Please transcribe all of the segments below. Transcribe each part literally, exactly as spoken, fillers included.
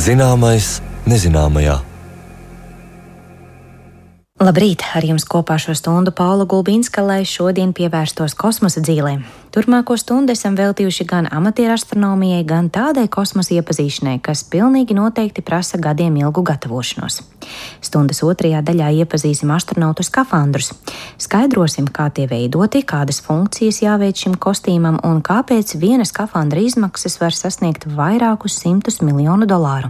Zināmais nezināmajā. Labrīt! Ar jums kopā šo stundu Paula Gulbinska, lai šodien pievērstos kosmosa dzīlēm. Turpmāko stundu esam veltījuši gan amatieru astronomijai, gan tādai kosmosa iepazīšanai, kas pilnīgi noteikti prasa gadiem ilgu gatavošanos. Stundas otrajā daļā iepazīsim astronautu skafandrus. Skaidrosim, kā tie veidoti, kādas funkcijas jāveic šim kostīmam un kāpēc viena skafandra izmaksas var sasniegt vairākus simtus miljonu dolāru.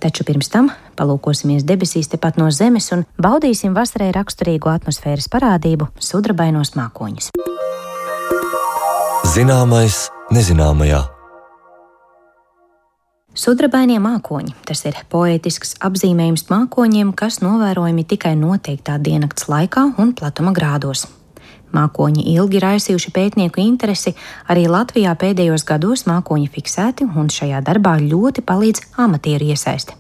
Taču pirms tam palūkosimies debesīs tepat no Zemes un baudīsim vasarai raksturīgo atmosfēras parādību – sudrabainos mākoņus. Zināmais nezināmajā. Sudrabainie mākoņi – tas ir poētisks apzīmējums mākoņiem, kas novērojami tikai noteiktā diennakts laikā un platuma grādos. Mākoņi ilgi raisījuši pētnieku interesi, arī Latvijā pēdējos gados mākoņi fiksēti un šajā darbā ļoti palīdz amatieru iesaiste.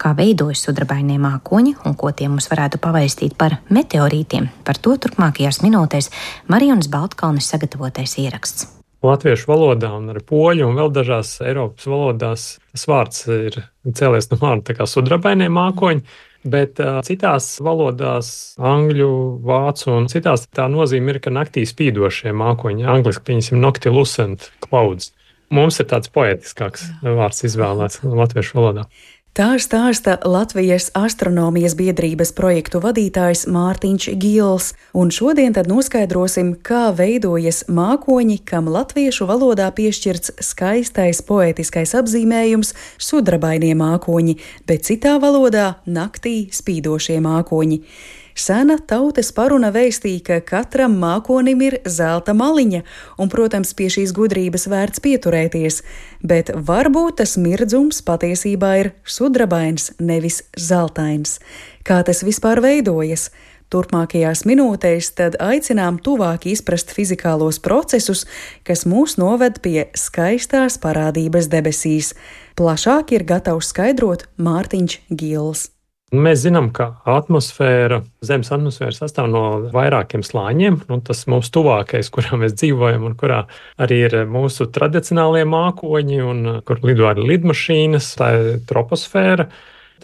Kā veidojas sudrabainie mākoņi un ko tie mums varētu pavēstīt par meteorītiem, par to turpmākajās minūtēs Marijonas Baltkalnes sagatavotais ieraksts. Latviešu valodā un arī poļu un vēl dažās Eiropas valodās tas vārds ir cēlies no vārda tā kā sudrabainie mākoņi, bet uh, citās valodās, angļu, vācu un citās tā nozīme ir, ka naktī spīdošie mākoņi, angliski pieņemsim noctilucent clouds. Mums ir tāds poētiskāks vārds izvēlēts latviešu valodā. Tā stāsta Latvijas astronomijas biedrības projektu vadītājs Mārtiņš Gils, un šodien tad noskaidrosim, kā veidojas mākoņi, kam latviešu valodā piešķirts skaistais poētiskais apzīmējums sudrabainie mākoņi, bet citā valodā naktī spīdošie mākoņi. Sena tautas paruna vēstīja, ka katram mākonim ir zelta maliņa, un, protams, pie šīs gudrības vērts pieturēties, bet varbūt tas mirdzums patiesībā ir sudrabains, nevis zeltains. Kā tas vispār veidojas? Turpmākajās minūtēs tad aicinām tuvāk izprast fizikālos procesus, kas mūs noved pie skaistās parādības debesīs. Plašāk ir gatavs skaidrot Mārtiņš Gils. Mēs zinām, ka atmosfēra, Zemes atmosfēra sastāv no vairākiem slāņiem, un tas mums tuvākais, kurā mēs dzīvojam un kurā arī ir mūsu tradicionālie mākoņi un kur lido arī lidmašīnas, tā ir troposfēra.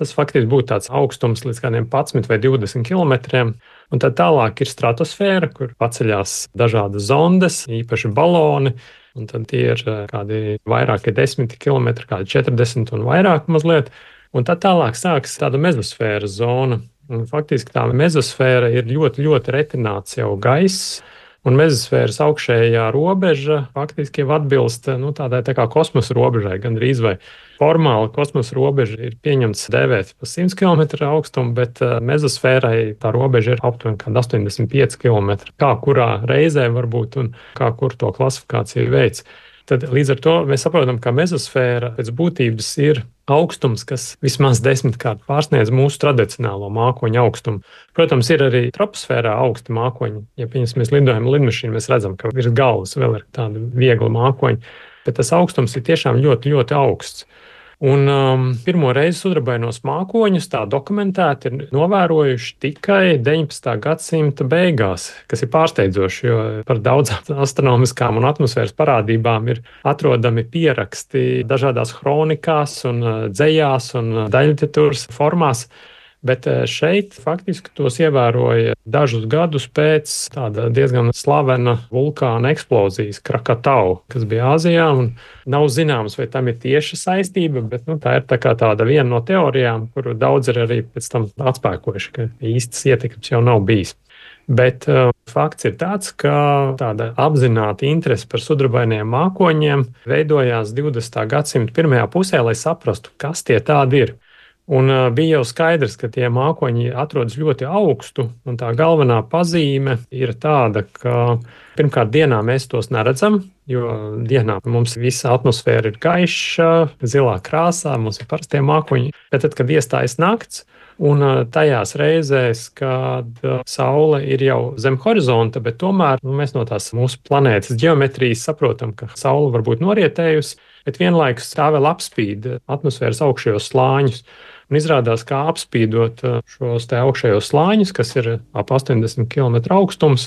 Tas faktiski būtu tāds augstums līdz kādiem padsmit vai divdesmit kilometriem, un tad tālāk ir stratosfēra, kur paceļās dažādas zondes, īpaši baloni, un tad tie ir kādi vairāki desmit kilometri, kādi četrdesmit un vairāk mazliet. Un tad tālāk sākas tāda mezosfēras zona. Un faktiski tā mezosfēra ir ļoti, ļoti retināts jau gaiss, un mezosfēras augšējā robeža faktiski jau atbilst nu, tādai tā kā kosmosa robežai, gandrīz vai formāli kosmosa robeža ir pieņemts dēvēt pa simt kilometru augstumu, bet mezosfērai tā robeža ir aptuveni kādi astoņdesmit pieci kilometri. Kā kurā reizē varbūt un kā kur to klasifikāciju veids. Tad līdz ar to mēs saprotam, ka mezosfēra pēc būtības ir augstums, kas vismaz desmitkārt pārsniedz mūsu tradicionālo mākoņu augstumu. Protams, ir arī troposfērā augsti mākoņi. Ja pieņemsim, mēs lidojam lidmašīnu, mēs redzam, ka virs galvas vēl ir tādi viegli mākoņi, bet tas augstums ir tiešām ļoti, ļoti augsts. Un um, pirmo reizi sudrabainos mākoņus tā dokumentēti ir novērojuši tikai deviņpadsmitā gadsimta beigās, kas ir pārsteidzoši, jo par daudzām astronomiskām un atmosfēras parādībām ir atrodami pieraksti dažādās kronikās un dzejās un daļliteratūras formās. Bet šeit faktiski tos ievēroja dažus gadus pēc tāda diezgan slavena vulkāna eksplozijas Krakatau, kas bija Āzijā, un nav zināms, vai tam ir tieša saistība, bet nu, tā ir tā kā tāda viena no teorijām, kuru daudz ir arī pēc tam atspēkojuši, ka īstas ietekmes jau nav bijis. Bet uh, fakts ir tāds, ka tāda apzināta interese par sudrabainiem mākoņiem veidojās divdesmitā gadsimta pirmajā pusē, lai saprastu, kas tie tādi ir. Un uh, bija jau skaidrs, ka tie mākoņi atrodas ļoti augstu, un tā galvenā pazīme ir tāda, ka pirmkārt dienā mēs tos neredzam, jo dienā mums visa atmosfēra ir gaiša, zilā krāsā, mums ir parastie mākoņi, bet tad, kad iestājas nakts, un tajās reizēs, kad Saule ir jau zem horizonta, bet tomēr nu, mēs no tās mūsu planētas ģeometrijas saprotam, ka Saule var būt norietējusi, bet vienlaikus tā vēl apspīd atmosfēras augšējos slāņus. Un izrādās, kā apspīdot šos te augšējos slāņus, kas ir ap astoņdesmit kilometru augstums,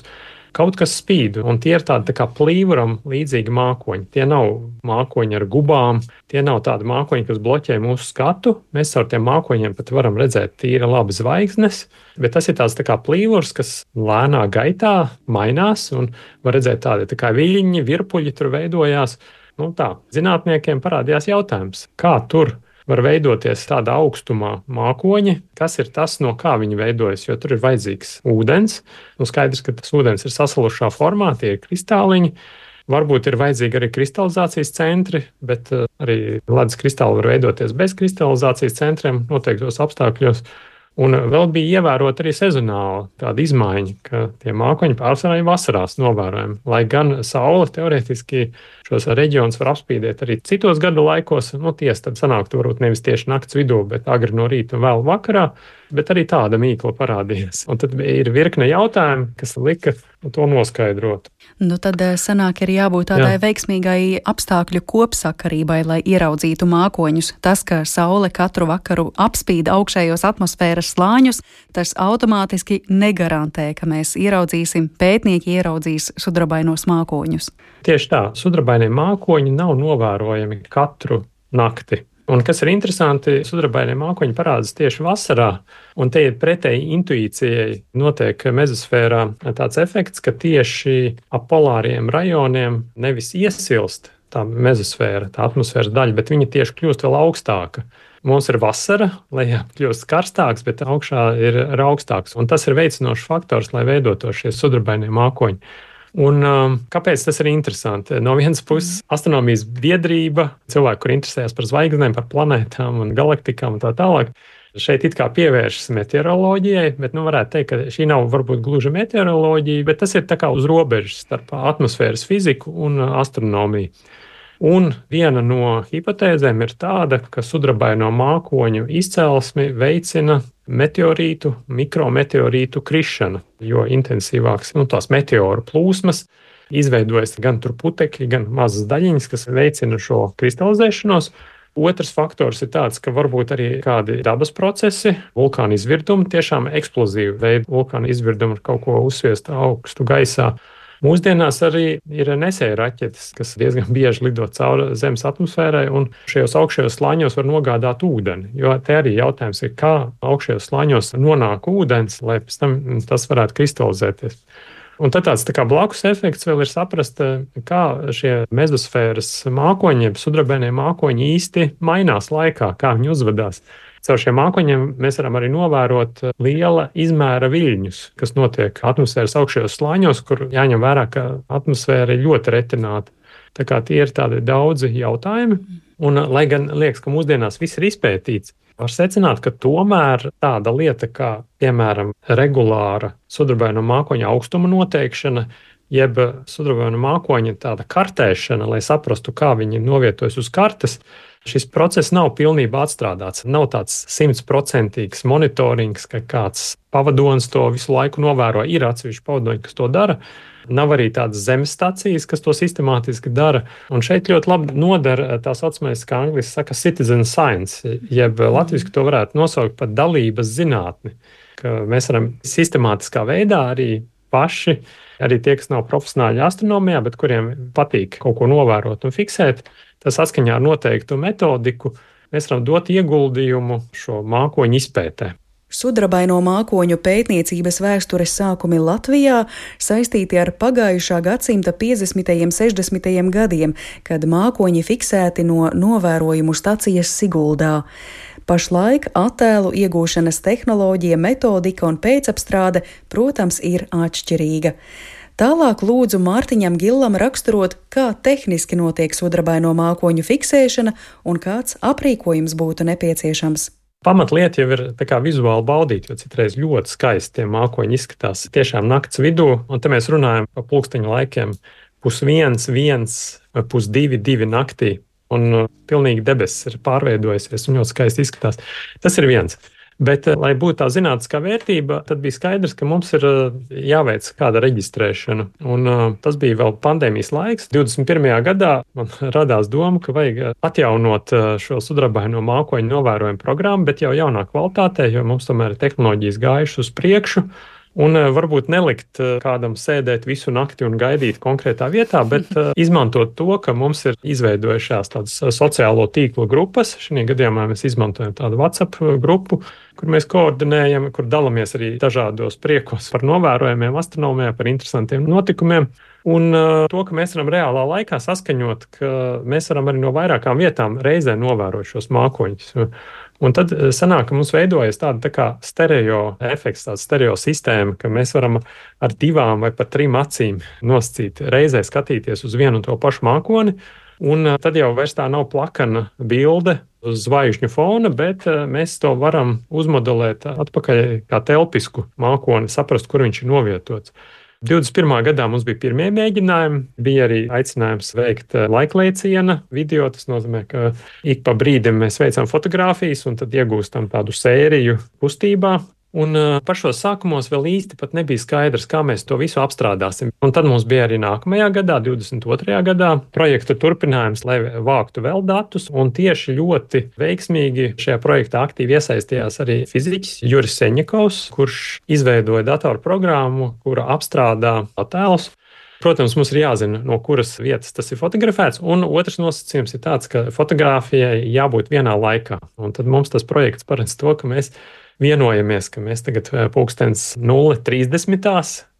kaut kas spīd, un tie ir tādi tā kā plīvuram līdzīgi mākoņi. Tie nav mākoņi ar gubām, tie nav tādi mākoņi, kas bloķē mūsu skatu. Mēs ar tiem mākoņiem pat varam redzēt tīri labi zvaigznes, bet tas ir tāds tā kā plīvurs, kas lēnā gaitā mainās, un var redzēt tādi tā kā viļņi, virpuļi tur veidojās. Nu tā, zinātniekiem parādījās jautājums, kā tur var veidoties tādā augstumā mākoņi, kas ir tas, no kā viņi veidojas, jo tur ir vajadzīgs ūdens. Nu, skaidrs, ka tas ūdens ir sasalušā formā, tie ir kristāliņi. Varbūt ir vajadzīgi arī kristalizācijas centri, bet arī ledus kristāli var veidoties bez kristalizācijas centriem noteiktos apstākļos. Un vēl bija ievērota arī sezonāla tāda izmaiņa, ka tie mākoņi pārsvarā ir vasarās novērojami. Lai gan saule teorētiski šos reģionus var apspīdēt arī citos gadu laikos, nu tiesa tad sanāktu varbūt nevis tieši nakts vidū, bet agri no rīta un vēl vakarā, bet arī tāda mīkla parādījās. Un tad ir virkne jautājumu, kas lika to noskaidrot. Nu tad sanāk ir jābūt tādai Jā. veiksmīgai apstākļu kopsakarībai, lai ieraudzītu mākoņus. Tas, ka saule katru vakaru apspīd augšējos atmosfēras slāņus, tas automātiski negarantē, ka mēs ieraudzīsim, pētnieki ieraudzīs sudrabainos mākoņus. Tieši tā, sudrabainie mākoņi nav novērojami katru nakti. Un kas ir interesanti, sudrabainie mākoņi parādās tieši vasarā, un te ir pretēji intuīcijai notiek mezosfērā tāds efekts, ka tieši ap polāriem rajoniem nevis iesilst tā mezosfēra, tā atmosfēras daļa, bet viņa tieši kļūst vēl augstāka. Mums ir vasara, lejā kļūst karstāks, bet augšā ir augstāks, un tas ir veicinošs faktors, lai veidotos šie sudrabainie mākoņi. Un um, kāpēc tas ir interesanti? No vienas puses, astronomijas biedrība, cilvēki, kur interesējas par zvaigznēm, par planētām un galaktikām un tā tālāk, šeit it kā pievēršas meteoroloģijai, bet nu varētu teikt, ka šī nav varbūt gluži meteoroloģija, bet tas ir tā kā uz robežas starp atmosfēras fiziku un astronomiju. Un viena no hipotēzēm ir tāda, ka sudrabaino mākoņu izcelsmi veicina meteorītu, mikrometeorītu krišana, jo intensīvāks nu, tās meteoru plūsmas izveidojas gan tur putekļi, gan mazas daļiņas, kas veicina šo kristalizēšanos. Otrs faktors ir tāds, ka varbūt arī kādi dabas procesi, vulkāna izvirdumi, tiešām eksplozīvi veidi vulkāna izvirdumi ar kaut ko uzsviest augstu gaisā. Mūsdienās arī ir nesēja raķetes, kas diezgan bieži lido cauri Zemes atmosfērai, un šajos augšējos slāņos var nogādāt ūdeni. Jo te arī jautājums ir, kā augšējos slāņos nonāk ūdens, lai pēc tam tas varētu kristalizēties. Un tad tāds tā kā blakus efekts vēl ir saprast, kā šie mezosfēras mākoņi, sudrabainie mākoņi īsti mainās laikā, kā viņi uzvedās. Caur šiem mākoņiem mēs varam arī novērot liela izmēra viļņus, kas notiek atmosfēras augšējos slāņos, kur jāņem vērā, ka atmosfēra ir ļoti retināta. Tā kā tie ir tādi daudzi jautājumi, un lai gan liekas, ka mūsdienās viss ir izpētīts, var secināt, ka tomēr tāda lieta kā, piemēram, regulāra sudrabaino mākoņa augstuma noteikšana, jeb sudrabaino mākoņa tāda kartēšana, lai saprastu, kā viņi novietojas uz kartes, šis process nav pilnībā atstrādāts. Nav tāds simtprocentīgs monitorings, ka kāds pavadonis to visu laiku novēro. Ir atsevišķi pavadoņi, kas to dara. Nav arī tādas zemes stacijas, kas to sistemātiski dara. Un šeit ļoti labi noder tā saucamais, kā angliski saka, citizen science, jeb latviski to varētu nosaukt par dalības zinātni. Ka mēs varam sistemātiskā veidā arī paši, arī tie, kas nav profesionāļi astronomijā, bet kuriem patīk kaut ko novērot un fiksēt, tas saskaņā ar noteiktu metodiku, mēs varam dot ieguldījumu šo mākoņu izpētē. Sudrabaino mākoņu pētniecības vēstures sākumi Latvijā saistīti ar pagājušā gadsimta piecdesmitajiem, sešdesmitajiem gadiem, kad mākoņi fiksēti no novērojumu stacijas Siguldā. Pašlaik attēlu iegūšanas tehnoloģija, metodika un pēcapstrāde, protams, ir atšķirīga. Tālāk lūdzu Mārtiņam Gillam raksturot, kā tehniski notiek sudrabaino mākoņu fiksēšana un kāds aprīkojums būtu nepieciešams. Pamatlieta jau ir tā kā vizuāli baudīt, jo citreiz ļoti skaisti tie mākoņi izskatās tiešām nakts vidū, un te mēs runājam par pulksteņa laikiem pus viens, viens, pus divi, divi naktī, un pilnīgi debesis ir pārveidojusies un ļoti skaisti izskatās. Tas ir viens. Bet, lai būtu tā zinātniskā vērtība, tad bija skaidrs, ka mums ir jāveic kāda reģistrēšana. Un uh, tas bija vēl pandēmijas laiks. divdesmit pirmajā gadā man radās doma, ka vajag atjaunot šo sudrabaino mākoņu novērojumu programmu, bet jau jaunā kvalitātē, jo mums tomēr ir tehnoloģijas gājušas uz priekšu. Un varbūt nelikt kādam sēdēt visu nakti un gaidīt konkrētā vietā, bet izmantot to, ka mums ir izveidojušās tādas sociālo tīklu grupas. Šajā gadījumā mēs izmantojam tādu WhatsApp grupu, kur mēs koordinējam, kur dalāmies arī dažādos priekos par novērojumiem astronomijā, par interesantiem notikumiem. Un to, ka mēs varam reālā laikā saskaņot, ka mēs varam arī no vairākām vietām reizē novērot šos mākoņus. Un tad sanāk, ka mums veidojas tāda tā kā stereo efekts, tāda stereo sistēma, ka mēs varam ar divām vai pat trim acīm nosacīt, reizē skatīties uz vienu un to pašu mākoni, un tad jau vairs tā nav plakana bilde uz zvaigžņu fona, bet mēs to varam uzmodelēt atpakaļ kā telpisku mākoni, saprast, kur viņš ir novietots. divdesmit pirmā gadā mums bija pirmie mēģinājumi, bija arī aicinājums veikt laiklēciena video. Tas nozīmē, ka ik pa brīdim mēs veicam fotogrāfijas un tad iegūstam tādu sēriju kustībā. Un pašos sākumos vēl īsti pat nebija skaidrs, kā mēs to visu apstrādāsim. Un tad mums bija arī nākamajā gadā, divdesmit otrajā gadā, projekta turpinājums, lai vāktu vēl datus. Un tieši ļoti veiksmīgi šajā projektā aktīvi iesaistījās arī fiziķis Juris Seņakovs, kurš izveidoja datorprogrammu, kura apstrādā attēlus. Protams, mums ir jāzina, no kuras vietas tas ir fotografēts. Un otrs nosacījums ir tāds, ka fotografijai jābūt vienā laikā. Un tad mums tas projekts paredz to, ka mēs vienojamies, ka mēs tagad pulkstens nulle trīsdesmit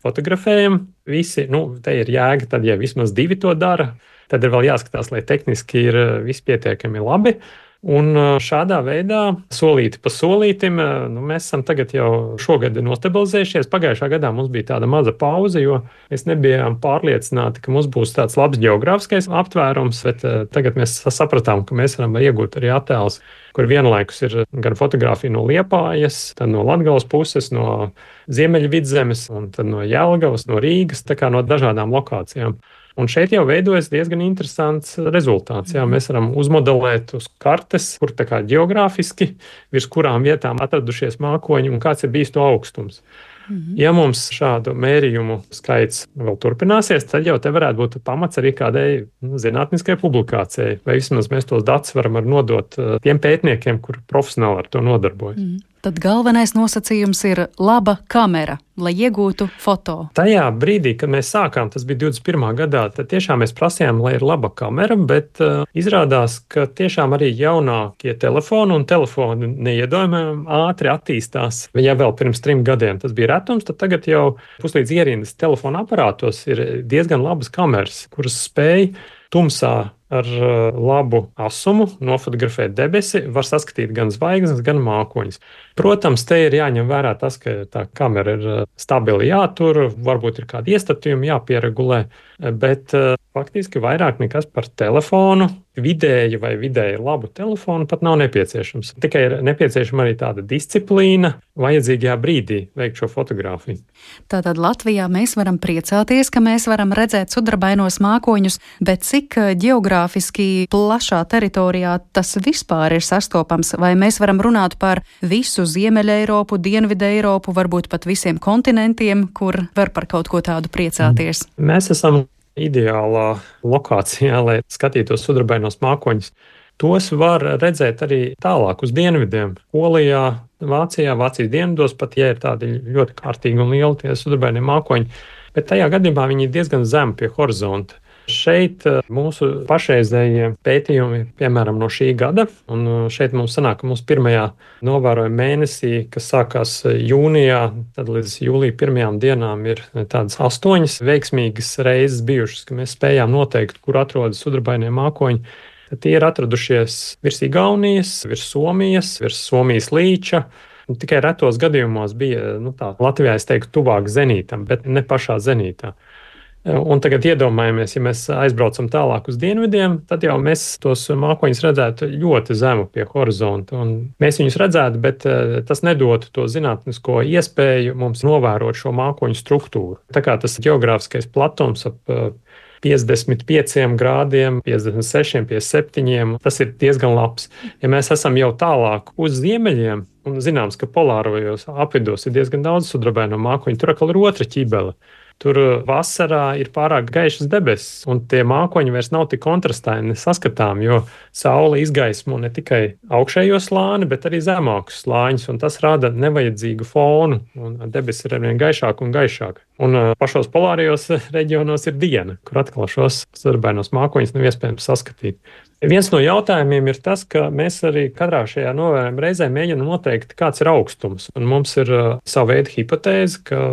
fotografējam. Visi, nu, te ir jēga, tad, ja vismaz divi to dara, tad ir vēl jāskatās, lai tehniski ir viss pietiekami labi. Un šādā veidā, solīti pa solītim, nu, mēs esam tagad jau šogad nostabilizējušies. Pagājušā gadā mums bija tāda maza pauze, jo mēs nebijām pārliecināti, ka mums būs tāds labs geogrāfiskais aptvērums, bet tagad mēs sapratām, ka mēs varam iegūt arī attēlus, kur vienlaikus ir gan fotografija no Liepājas, tad no Latgales puses, no Ziemeļvidzemes, un tad no Jelgavas, no Rīgas, tā kā no dažādām lokācijām. Un šeit jau veidojas diezgan interesants rezultāts. Jā, mēs varam uzmodelēt uz kartes, kur tā kā geogrāfiski, virs kurām vietām atradušies mākoņi un kāds ir bijis to augstums. Mm-hmm. Ja mums šādu mērījumu skaits vēl turpināsies, tad jau te varētu būt pamats arī kādai zinātniskai publikācijai. Vai vismaz mēs tos datus varam nodot tiem pētniekiem, kur profesionāli ar to nodarbojas. Mm-hmm. Tad galvenais nosacījums ir laba kamera, lai iegūtu foto. Tajā brīdī, kad mēs sākām, tas bija divdesmit pirmā gadā, tad tiešām mēs prasījām, lai ir laba kamera, bet uh, izrādās, ka tiešām arī jaunākie telefoni un telefoni neiedomājami ātri attīstās. Ja vēl pirms trim gadiem tas bija retums, tad tagad jau puslīdz ierindas telefona aparātos ir diezgan labas kameras, kuras spēj tumsā ar labu asumu nofotografēt debesi, var saskatīt gan zvaigznes, gan mākoņus. Protams, te ir jāņem vērā tas, ka tā kamera ir stabili jātur, varbūt ir kādi iestatījumi jāpieregulē, bet faktiski vairāk nekas par telefonu, vidēji vai vidēji labu telefonu pat nav nepieciešams. Tikai ir nepieciešama arī tāda disciplīna vajadzīgajā brīdī veikt šo fotografiju. Tātad Latvijā mēs varam priecāties, ka mēs varam redzēt sudrabainos mākoņus, bet cik ģeogrāfiski plašā teritorijā tas vispār ir sastopams? Vai mēs varam runāt par visu Ziemeļa Eiropu, Dienvidu Eiropu, varbūt pat visiem kontinentiem, kur var par kaut ko tādu priecāties? Mēs esam ideālā lokācijā, lai skatītos sudrabainos mākoņus. Tos var redzēt arī tālāk uz dienvidiem. Polijā, Vācijā, Vācijas dienvidos, pat ja ir tādi ļoti kārtīgi un lieli tie sudrabainie mākoņi, bet tajā gadījumā viņi ir diezgan zemi pie horizonta. Šeit mūsu pašreizējie pētījumi, piemēram, no šī gada, un šeit mums sanāk, ka mūsu pirmajā novērojuma mēnesī, kas sākās jūnijā, tad līdz jūlija pirmajām dienām ir tādas astoņas veiksmīgas reizes bijušas, ka mēs spējām noteikt, kur atrodas sudrabainie mākoņi. Tad tie ir atradušies virs Igaunijas, virs Somijas, virs Somijas līča. Tikai retos gadījumos bija, nu tā, Latvijā es teiktu, tuvāk zenītam, bet ne pašā zenītā. Un tagad iedomājamies, ja mēs aizbraucam tālāk uz dienvidiem, tad jau mēs tos mākoņus redzētu ļoti zemu pie horizonta. Un mēs viņus redzētu, bet tas nedotu to zinātnisko iespēju mums novērot šo mākoņu struktūru. Tā kā tas geogrāfiskais platums ap piecdesmit pieciem grādiem, piecdesmit sešiem, piecdesmit septiņiem, tas ir diezgan labs. Ja mēs esam jau tālāk uz ziemeļiem, un zināms, ka polārajos apvidos ir diezgan daudz sudrabaino mākoņu, tur atkal ir otra ķibele. Tur vasarā ir pārāk gaišas debesis, un tie mākoņi vairs nav tik kontrastaini saskatām, jo saule izgaismo ne tikai augšējo slāni, bet arī zemākus slāņus, un tas rada nevajadzīgu fonu, un debesis ir arvien gaišāk un gaišāk. Un pašos polārajos reģionos ir diena, kur atkal šos sudrabainos mākoņus nav iespējams saskatīt. Viens no jautājumiem ir tas, ka mēs arī katrā šajā novērojuma reizē mēģinām noteikt, kāds ir augstums. Un mums ir uh, sava veida hipotēze, ka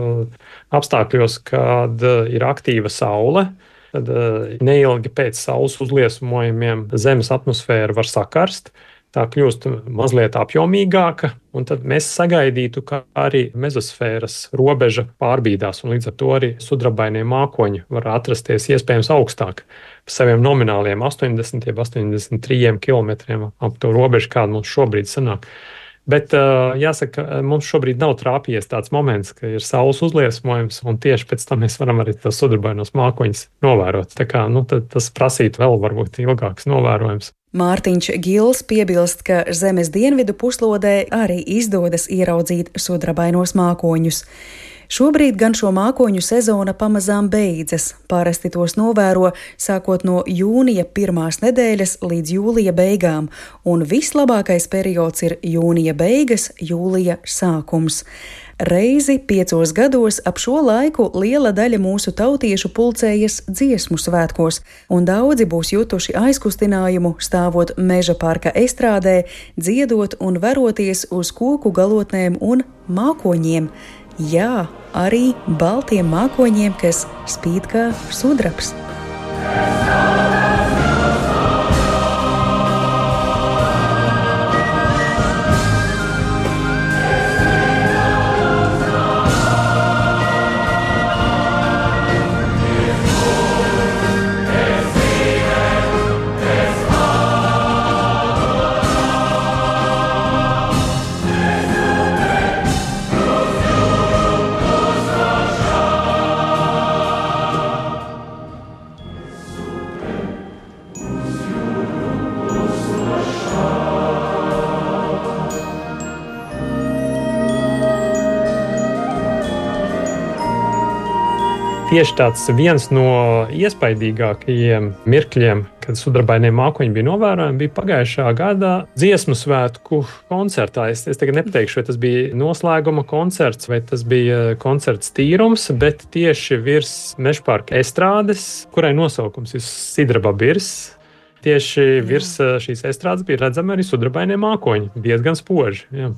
apstākļos, kad uh, ir aktīva saule, tad uh, neilgi pēc saules uzliesmojumiem Zemes atmosfēra var sakarst. Tā kļūst mazliet apjomīgāka, un tad mēs sagaidītu, ka arī mezosfēras robeža pārbīdās, un līdz ar to arī sudrabainie mākoņi var atrasties iespējams augstāk par saviem nomināliem astoņdesmit, astoņdesmit trīs kilometriem ap to robežu, kāda mums šobrīd sanāk. Bet jāsaka, mums šobrīd nav trāpījies tāds moments, ka ir saules uzliesmojums, un tieši pēc tam mēs varam arī tos sudrabainos mākoņus novērot. Tā kā, nu, tas prasītu vēl varbūt ilgāks novērojums. Mārtiņš Gils piebilst, ka Zemes dienvidu puslodē arī izdodas ieraudzīt sudrabainos mākoņus. Šobrīd gan šo mākoņu sezona pamazām beidzas. Parasti tos novēro sākot no jūnija pirmās nedēļas līdz jūlija beigām, un vislabākais periods ir jūnija beigas, jūlija sākums. Reizi piecos gados ap šo laiku liela daļa mūsu tautiešu pulcējas dziesmu svētkos, un daudzi būs jutuši aizkustinājumu stāvot meža parka estrādē, dziedot un veroties uz koku galotnēm un mākoņiem. Jā, arī baltiem mākoņiem, kas spīd kā sudrabs. Tieši tāds viens no iespaidīgākajiem mirkļiem, kad sudrabainie mākoņi bija novērojami, bija pagājušā gada dziesmu svētku koncertā. Es, es tagad nepateikšu, vai tas bija noslēguma koncerts, vai tas bija koncerts tīrums, bet tieši virs mežparka estrādes, kurai nosaukums ir Sidraba birs, tieši virs šīs estrādes bija redzami arī sudrabainie mākoņi, diezgan spoži. Jā.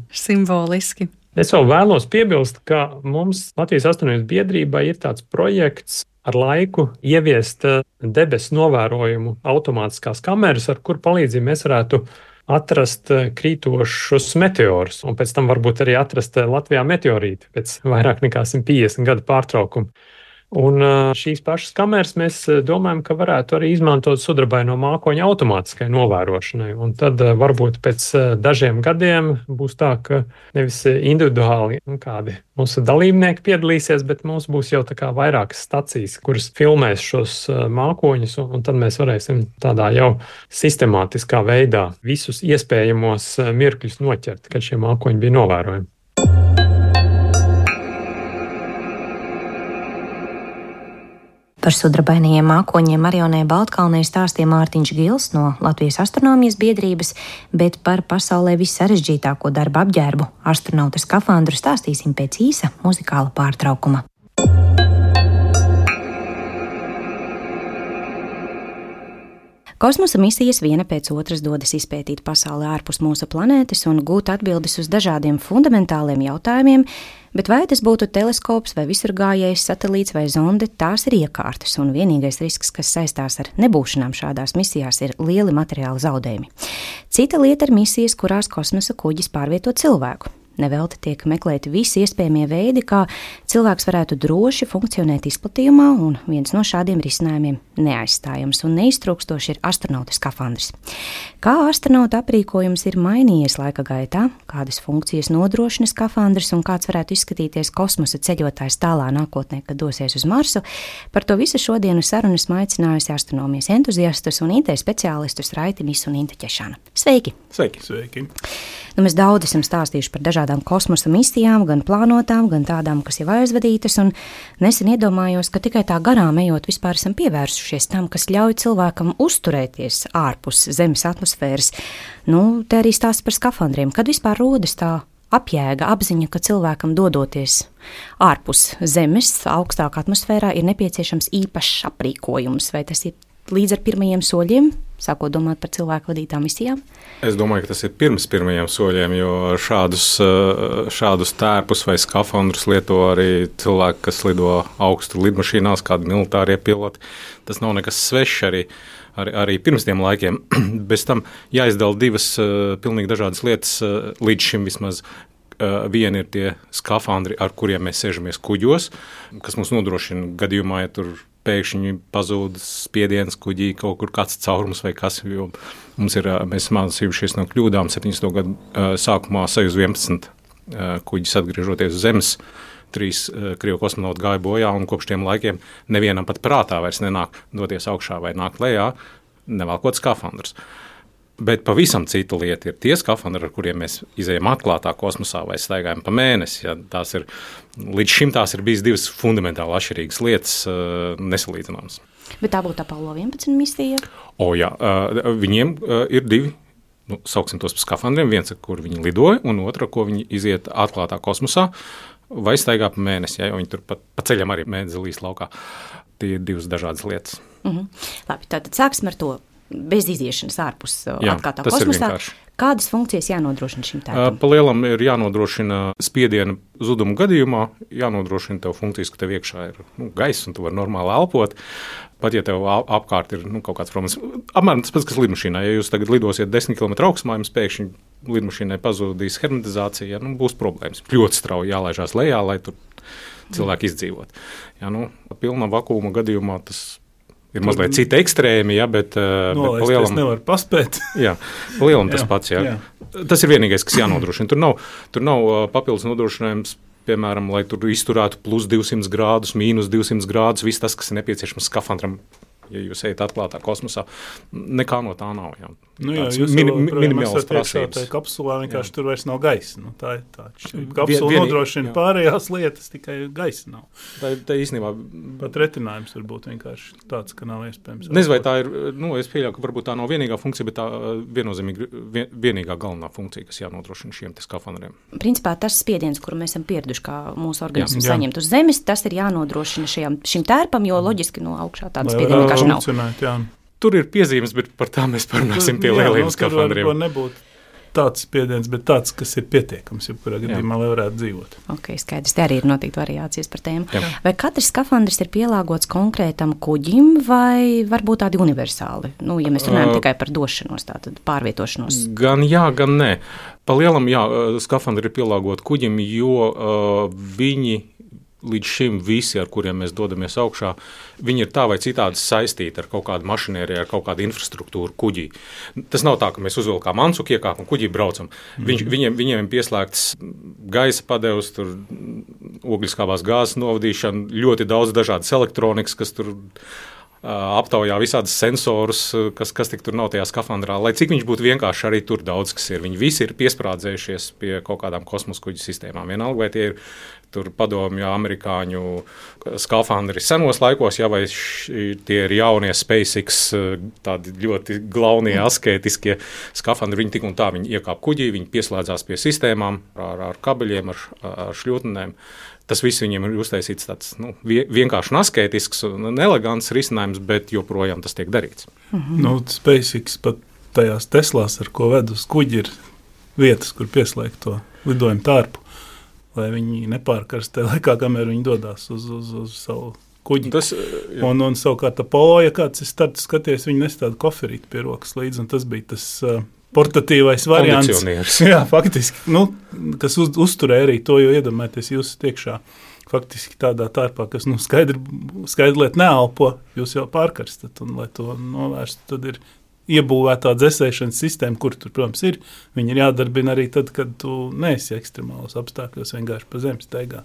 Simboliski. Es vēl vēlos piebilst, ka mums Latvijas astronomijas biedrībā ir tāds projekts ar laiku ieviest debesu novērojumu automātiskās kameras, ar kur palīdzību mēs varētu atrast krītošus meteorus, un pēc tam varbūt arī atrast Latvijā meteorīti pēc vairāk nekā simt piecdesmit gadu pārtraukumu. Un šīs pašas kameras mēs domājam, ka varētu arī izmantot sudrabaino mākoņu automātiskai novērošanai. Un tad varbūt pēc dažiem gadiem būs tā, ka nevis individuāli kādi mūsu dalībnieki piedalīsies, bet mums būs jau tā kā vairākas stacijas, kuras filmēs šos mākoņus, un tad mēs varēsim tādā jau sistemātiskā veidā visus iespējamos mirkļus noķert, kad šie mākoņi bija novērojami. Par sudrabainajiem mākoņiem Marionē Baltkalnē stāstīja Mārtiņš Gils no Latvijas astronomijas biedrības, bet par pasaulē vissarežģītāko darba apģērbu astronauta skafandru stāstīsim pēc īsa muzikāla pārtraukuma. Kosmosa misijas viena pēc otras dodas izpētīt pasauli ārpus mūsu planētas un gūt atbildes uz dažādiem fundamentāliem jautājumiem, bet vai tas būtu teleskops vai visurgājējs, satelīts vai zonde, tās ir iekārtas, un vienīgais risks, kas saistās ar nebūšanām šādās misijās, ir lieli materiāli zaudējumi. Cita lieta ir misijas, kurās kosmosa kuģis pārvieto cilvēku. Nevelti tiek meklēti visi iespējamie veidi, kā cilvēks varētu droši funkcionēt izplatījumā, un viens no šādiem risinājumiem neaizstājams un neiztrūkstoši ir astronauta skafandrs. Kā astronauta aprīkojums ir mainījies laika gaitā, kādas funkcijas nodrošina skafandrs un kāds varētu izskatīties kosmosa ceļotājs tālā nākotnē, kad dosies uz Marsu, par to visu šodienu sarunas aicinājusi astronomijas entuziastus un I T speciālistus Raiti Misu un Inta Ķešana. Sveiki! Sveiki, sveiki! Nu, mēs daudz esam stāstījuši par dažādām kosmosa misijām, gan plānotām, gan tādām, kas jau aizvadītas, un nesen iedomājos, ka tikai tā garām ejot vispār esam pievērsušies tam, kas ļauj cilvēkam uzturēties ārpus Zemes atmosfēras. Nu, te arī stāsts par skafandriem. Kad vispār rodas tā apjēga, apziņa, ka cilvēkam dodoties ārpus Zemes, augstākā atmosfērā, ir nepieciešams īpašs aprīkojums, vai tas ir līdz ar pirmajiem soļiem, sākot domāt par cilvēku vadītām misijām? Es domāju, ka tas ir pirms pirmajiem soļiem, jo šādus, šādus tērpus vai skafandrus lieto arī cilvēki, kas lido augstu lidmašīnās, kādi militārie piloti. Tas nav nekas svešs arī. Arī, arī pirms tiem laikiem. Bez tam jāizdala divas uh, pilnīgi dažādas lietas, uh, līdz šim vismaz. Uh, viena ir tie skafandri, ar kuriem mēs sēžamies kuģos, kas mums nodrošina gadījumā, ja tur pēkšņi pazūd spiediens kuģī, kaut kur kāds caurums vai kas, jo mums ir, uh, mēs mācījušies no kļūdām septiņdesmito gadu uh, sākumā Sojuz vienpadsmit uh, kuģis atgriežoties uz Zemes. Trīs uh, krievu kosmonauti gāja bojā, un kopš tiem laikiem nevienam pat prātā vairs nenāk doties augšā vai nākt lejā, nevelkot skafandrus. Bet pavisam cita lieta ir tie skafandri, ar kuriem mēs izejam atklātā kosmosā vai staigājam pa mēnesi. Ja, tās ir, līdz šim tās ir bijis divas fundamentāli atšķirīgas lietas, uh, nesalīdzināmas. Bet tā būtu Apollo vienpadsmit misija? O jā, uh, viņiem uh, ir divi. Nu, sauksim tos par skafandriem. Viens, ar kur viņi lidoja, un otra, ko viņi iziet atklātā kosmosā vai staigā pa mēnesi, ja, jo viņi tur pa, pa ceļam arī mēdz līs laukā. Tie ir divas dažādas lietas. Mhm. Labi, tātad sāksim ar to bez iziešanas ārpus Jā, atklātā kosmosā. Kādas funkcijas jānodrošina šim tērpam? Pa lielam ir jānodrošina spiediena zudumu gadījumā, jānodrošina tev funkcijas, ka tev iekšā ir nu, gaiss un tu vari normāli elpot. Pat ja tev apkārt ir nu, kaut kāds problēmas. Apmēram tas pats, kas lidmašīnā. Ja jūs tagad lidosiet desmit kilometru augstumā, jums pēkšņi lidmašīnai pazudīs hermetizācija, nu, būs problēmas. Ļoti strauji jālaižās lejā, lai tur cilvēki izdzīvot. Ja, nu, pilna vakuma gadījumā tas ir mazliet cita ekstrēmi, ja, bet, no, bet palielam, es nevaru paspēt. jā, palielam tas jā, pats. Jā. Jā. Tas ir vienīgais, kas jānodrošina. Tur nav, tur nav papildus nodrošinājums, piemēram, lai tur izturētu plus divsimt grādus, mīnus divsimt grādus, viss tas, kas ir nepieciešams skafandram, ja jūs ejat atklātā kosmosā. Nekā no tā nav. Jā. Nu jā, jūs min, jau minimālas prasības. Tā kapsulā vienkārši jā. Tur vairs nav gaisa. Nu, tā ir tā. Kapsula Vien, nodrošina jā. Pārējās lietas, tikai gaisa nav. Tā, tā īstenībā... Pat retinājums var būt vienkārši tāds, ka nav iespējams. Nezinu, vai tā ir, nu, es pieļauju, ka varbūt tā nav vienīgā funkcija, bet tā viennozīmīgi vien, vienīgā galvenā funkcija, kas jānodrošina šiem te skafandriem. Principā tas spiediens, kuru mēs esam pieraduši, kā mūsu organisms saņemt uz Zemes, tas ir jānodrošina šajam, šim tērpam, jo loģiski no augšā tāda spiediena vienkārši nav. Tur ir piezīmes, bet par tā mēs parunāsim pie lieliem nu, skafandriem. Tur var nebūt tāds spiediens, bet tāds, kas ir pietiekams, ja kurā gadījumā, lai varētu dzīvot. Ok, skaidrs, te arī ir noteikti variācijas par tēmu. Jā. Vai katrs skafandrs ir pielāgots konkrētam kuģim vai varbūt tādi universāli? Nu, ja mēs runājam uh, tikai par došanos, tātad pārvietošanos. Gan jā, gan nē. Pa lielam, jā, skafandri ir pielāgoti kuģim, jo uh, viņi līdz šim visi, ar kuriem mēs dodamies augšā, viņi ir tā vai citādi saistīti ar kaut kādu mašinēriju, ar kaut kādu infrastruktūru kuģī. Tas nav tā, ka mēs uzvilkām ancuku, iekāpam kuģī, braucam. Mm-hmm. Viņš, viņiem, viņiem ir pieslēgts gaisa padevs, tur ogliskābās gāzes novadīšana, ļoti daudz dažādas elektronikas, kas tur aptaujā visādas sensorus, kas, kas tik tur nav tajā skafandrā. Lai cik viņš būtu vienkārši, arī tur daudz kas ir. Viņi visi ir piesprādzējušies pie kaut kādām kosmosa kuģu sistēmām. Vienalga, vai tie ir tur padomju, amerikāņu skafandri senos laikos, ja, vai š, tie ir jaunie SpaceX, tādi ļoti glaunie, askētiskie skafandri. Viņi tik un tā, viņi iekāp kuģī, viņi pieslēdzās pie sistēmām ar, ar kabeļiem, ar, ar šļūtnēm. Tas viss viņiem ir uztaisīts tāds nu, vienkārši askētisks un elegants risinājums, bet joprojām tas tiek darīts. Mhm. Nu, SpaceX pat tajās Teslās, ar ko ved uz kuģi, ir vietas, kur pieslēgt to lidojumu tārpu, lai viņi nepārkarstē laikā, kamēr viņi dodās uz, uz, uz savu kuģi. Tas, un, un savukārt Apollo, ja kāds ir starts skaties, viņi nestāda koferīti pie rokas līdzi, un tas bija tas uh, portatīvais variants. Jā, faktiski, nu, kas uz, uzturē arī to, jo iedomājieties, jūs tiekšā faktiski tādā tārpā, kas nu, skaidri, skaidri liet neelpo, jūs jau pārkarstat, un lai to novērstu, tad ir iebūvētā dzesēšanas sistēma, kur tur, protams, ir, viņi ir jādarbina arī tad, kad tu neesi ekstremālos apstākļos, vienkārši pa zemes staigā.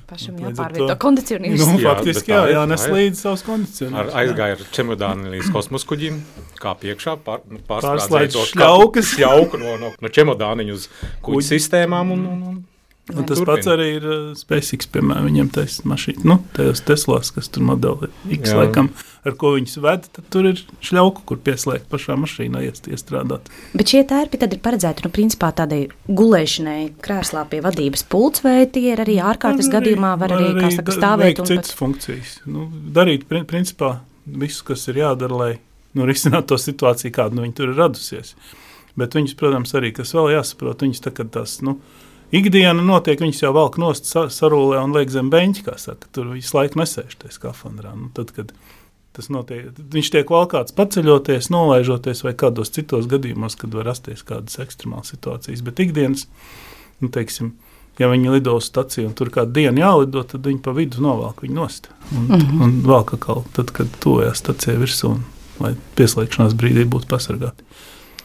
Pašam jāpārvieto kondicionieris. Nu, Jā, faktiski, bet tā jā, ir, jānes tā ir. līdzi savus kondicionierus. Ar aizgāja ar čemodāni līdz kosmoskuģim, kā piekšā, pār, Pārslēdz pārslēdz to šļaukas. šļauku no, no, no čemodāniņu uz kuģi Kuģi. sistēmām. Un, un, un, Un tas turpina. pats arī ir uh, SpaceX, piemēram, viņiem taisa mašīna, nu, tajos Teslās, kas tur modeli X Jā. laikam, ar ko viņus ved, tad tur ir šļauku, kur pieslēgt pašā mašīnā iest, iestrādāt. Bet šie tērpi tad ir paredzēti, nu, principā tādai gulēšanai krēslā pie vadības pults, vai tie ir arī ārkārtas gadījumā, var arī, kā saka, da- stāvēt veikt un citas pat... funkcijas. Nu, darīt, prin- principā, visu, kas ir jādara, lai nu, risinātu to situāciju, kāda nu, viņi tur ir radusies. Bet viņus, protams, arī, kas vēl jāsaprot, viņus tā, kad tās, nu, ikdiena notiek, viņus jau valk nost sa- sarūlē un liek zem beņķi, kā saka, tur visu laiku nesēž tajā skafandrā. Nu, tad, kad tas notiek, viņš tiek valkāts paceļoties, nolaižoties vai kādos citos gadījumos, kad var rasties kādas ekstremālas situācijas. Bet ikdienas, nu, teiksim, ja viņi lido uz staciju un tur kādu dienu jālido, tad viņi pa vidu novelk viņu nost. Un, mm -hmm. un valk atkal, tad, kad tuvojās stacijai virsū, un, lai pieslēgšanās brīdī būtu pasargāti.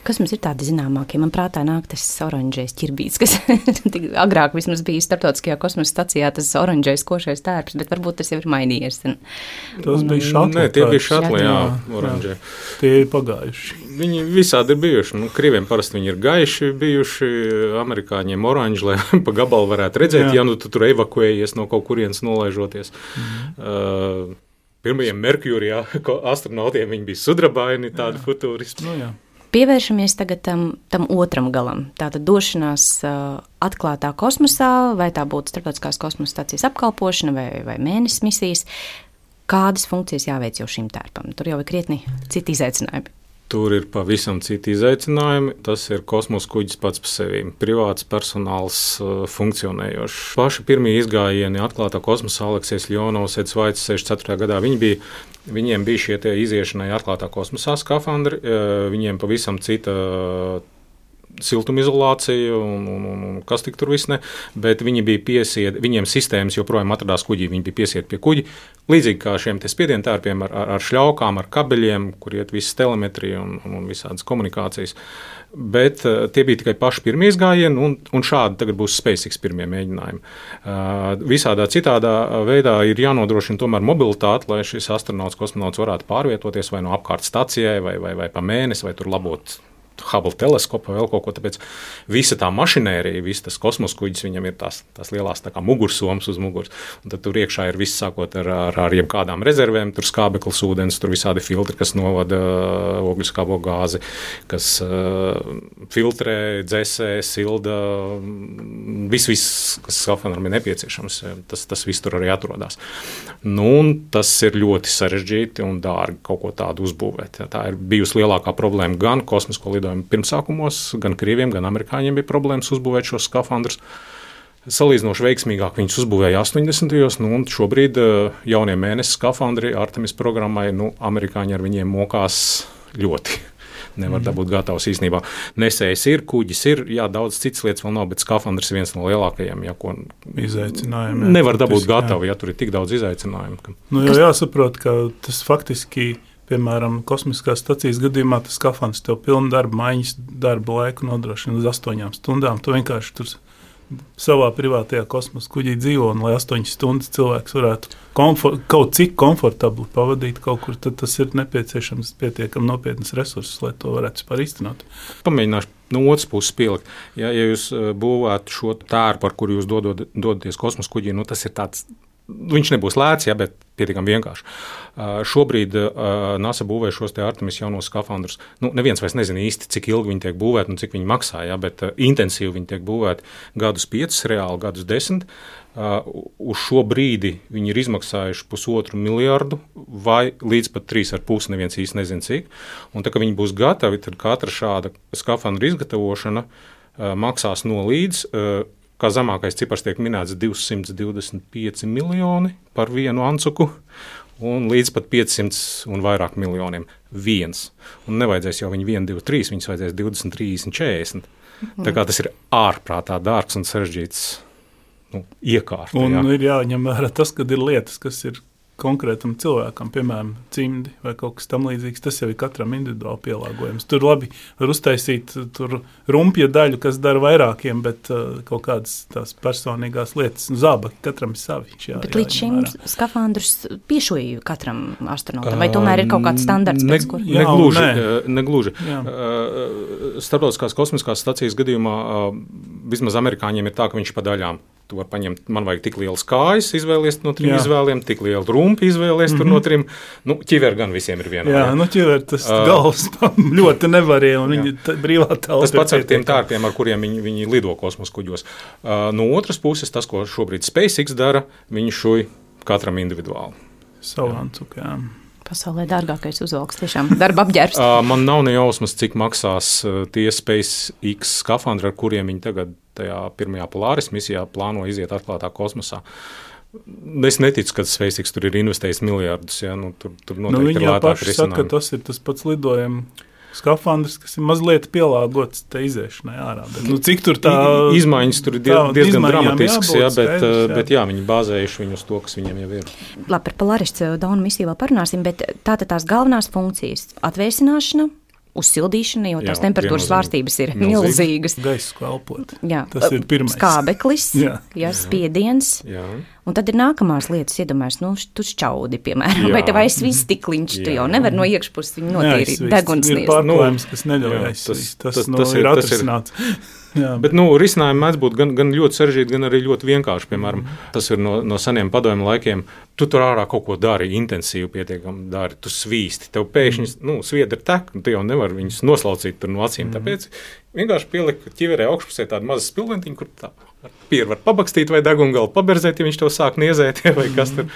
Kas mums ir tādi zināmākie? Man prātā nāk tas oranžais ķirbīts, kas agrāk vismaz bija starptautiskajā kosmosa stacijā, tas oranžais košais tērps, bet varbūt tas jau ir mainījies. Tas bija šatli. Nē, tie bija šatli, jā, Jā, oranžie. Tie ir pagājuši. Viņi visādi ir bijuši. Nu, krieviem parasti viņi ir gaiši bijuši, amerikāņiem oranži, lai pa gabalu varētu redzēt, Jā. ja nu tu tur evakuējies no kaut kurienes nolaižoties. Mm. Uh, pirmajiem Merkūrijā astronautiem viņi bija sudrabaini, tādi futūristi. Nu, jā. Pievēršamies tagad tam, tam otram galam. Tātad došanās uh, atklātā kosmosā, vai tā būtu starptautiskās kosmosa stācijas apkalpošana vai, vai mēnesis misijas. Kādas funkcijas jāveic jau šim tērpam? Tur jau ir krietni citi izaicinājumi. Tur ir pavisam citi izaicinājumi. Tas ir kosmosa kuģis pats par sevi. Privāts personāls uh, funkcionējošs. Paši pirmie izgājieni atklātā kosmosā Aleksejs Ļonovs, Eds Vaits sešdesmit ceturtajā gadā. Viņi bija, viņiem bija šie tie iziešanai atklātā kosmosā skafandri. Uh, viņiem pavisam cita uh, siltumizolācija un, un, un, un kas tik tur viss ne, bet viņi bija piesieti, viņiem sistēmas joprojām atradās kuģī, viņi bija piesieti pie kuģi, līdzīgi kā šiem te spiedienu tērpiem ar, ar, ar šļaukām, ar kabeļiem, kur iet visas telemetrija un, un, un visādas komunikācijas, bet uh, tie bija tikai paši pirmie izgājieni, un, un šādi tagad būs SpaceX pirmie mēģinājumi. Uh, visādā citādā veidā ir jānodrošina tomēr mobilitāte, lai šis astronauts, kosmonauts varētu pārvietoties vai no apkārt stacijai, vai, vai, vai pa mēnesi, vai tur labot Hubble teleskopu vai vēl kaut ko, tāpēc visa tā mašinērija, viss tas kosmosa kuģis, viņam ir tās, tās lielās tā kā mugursomas uz muguras, un tad tur iekšā ir viss sākot ar, ar, ar jebkādām rezervēm, tur skābeklis ūdens, tur visādi filtri, kas novada uh, ogļuskābo gāzi, kas uh, filtrē, dzēsē, silda, viss, viss, kas skafandram ir nepieciešams, tas, tas viss tur arī atrodas. Nu, un tas ir ļoti sarežģīti un dārgi kaut ko tādu uzbūvēt. Tā ir bijusi lielākā problēma gan kosmisko lidojumu pirmsākumos, gan krieviem, gan amerikāņiem bija problēmas uzbūvēt šos skafandrus. Salīdzinoši veiksmīgāk viņus uzbūvēja astoņdesmitajos, nu, un šobrīd jaunie mēnesis skafandri Artemis programmai, nu, amerikāņi ar viņiem mokās ļoti. Nevar dabūt gatavs īstenībā. Nesējs ir, kuģis ir, jā, daudz citas lietas vēl nav, bet skafandrs ir viens no lielākajiem, ja, ko izaicinājumiem. Nevar dabūt gatavu, ja tur ir tik daudz izaicinājumu. Ka... Nu, jo jāsaprot, ka tas faktiski, piemēram, kosmiskās stacijas gadījumā, tas skafandrs tev pilnu darba maiņas darba laiku nodrošina uz astoņām stundām. Tu vienkārši tur savā privātajā kosmosa kuģī dzīvo, un lai astoņas stundas cilvēks varētu komfort, kaut cik komfortabli pavadīt kaut kur, tad tas ir nepieciešams pietiekami nopietnas resursus, lai to varētu vispār īstenot. Pamēģināšu no otras puses pielikt. Ja, ja jūs būvētu šo tērpu, ar kuru jūs dodot, dodaties kosmosa kuģī, nu tas ir tāds, viņš nebūs lēts, ja, bet pietiekami vienkārši. Uh, šobrīd uh, NASA būvē šos te Artemis jaunos skafandrus. Nu, neviens vairs nezina īsti, cik ilgi viņi tiek būvēti un cik viņi maksā, ja, bet uh, intensīvi viņi tiek būvēti gadus piecus, reāli gadus desmit. Uh, uz šo brīdi viņi ir izmaksājuši pusotru miljardu vai līdz pat trīs ar pusi, neviens īsti nezina cik. Un tā, ka viņi būs gatavi, tad katra šāda skafandra izgatavošana uh, maksās no līdz uh, kā zemākais cipars tiek minēts divsimt divdesmit pieci miljoni par vienu ancuku un līdz pat piecsimt un vairāk miljoniem viens. Un nevajadzēs jau viņi viens, divi, trīs, viņus vajadzēs divdesmit, trīsdesmit, četrdesmit. Tā kā tas ir ārprātā dārgs un sarežģīts nu, iekārta. Un jā. ir jāņem vērā tas, ka ir lietas, kas ir konkrētam cilvēkam, piemēram, cimdi vai kaut kas tam līdzīgs, tas jau ir katram individuāli pielāgojums. Tur labi var uztaisīt tur rumpja daļu, kas dara vairākiem, bet uh, kaut kādas tās personīgās lietas, nu, zābaki katram ir savi. Jā, bet jā, līdz šim vērā. Piešoja katram astronautam, vai tomēr ir kaut kāds standarts? Ne, pēc, kur... ne gluži. Ne gluži. Uh, Starptautiskās kosmiskās stacijas gadījumā uh, vismaz amerikāņiem ir tā, ka viņš pa daļām. Tu vari paņemt, man vajag tik lielas kājas, izvēlies no trim jā. izvēliem, tik lielu rumpi izvēlies mm-hmm. tur no trim. Nu, ķiver gan visiem ir vienā. Jā, jā, nu ķiver tas uh, galvas ļoti nevarēja, un viņi tā, brīvā telpa. Tas pats ar tiem tārpiem, ar kuriem viņi, viņi lido kosmosa kuģos. Uh, no otras puses, tas, ko šobrīd SpaceX dara, viņi šuj katram individuāli. Savāncuk, jā. Pasaulē dārgākais uzvalks, tiešām darba apģērbs. uh, man nav ne jausmas, cik maksās uh, tie SpaceX skafandri, ar kuriem viņi tagad tajā pirmajā Polaris misijā plāno iziet atklātā kosmosā. Es neticu, ka SpaceX tur ir investējis miljardus. Ja? Nu, tur, tur noteikti nu, ir lētāk risinājumi. Saka, ka tas ir tas pats lidojuma skafandrs, kas ir mazliet pielāgots te iziešanai ārā. Bet, nu, cik tur tā... Izmaiņas tur ir diezgan, diezgan dramatisks, jābūt, jā, bet, skaidrs, jā. bet jā, viņi bāzējuši viņu uz to, kas viņiem jau ir. Labi, par Polaris Dauna misiju vēl parunāsim, bet tātad tās galvenās funkcijas - atvēsināšana, uzsildīšana, jo tās jā, temperatūras svārstības ir milzīgas. Gaisu elpot. Jā. Tas ir pirmais. Skābeklis, jā. Jā, spiediens. Jā. Un tad ir nākamās lietas, iedomājas, nu, tu šķaudi, piemēram, jā. vai tev aizsvis stikliņš, tu jau nevar no iekšpuses viņu notīrīt degunsnies. Ir pārklājums, kas neļauj aizsvis. Tas, tas, tas, nu, tas ir atrisināts. Jā. Bet nu, risinājumi mēdz būt gan, gan ļoti sarežģīti, gan arī ļoti vienkārši. Piemēram, tas ir no, no seniem padomju laikiem. Tu tur ārā kaut ko dari, intensīvi pietiekami dari, tu svīsti. Tev pēkšņi nu, sviedri tek, un tu jau nevari viņus noslaucīt tur no acīm. Tāpēc vienkārši pielikt ķiverē augšpusē tādu mazu spilventiņu, kur tā pieru var pabakstīt vai degungalu paberzēt, ja viņš to sāk niezēt, vai kas tur.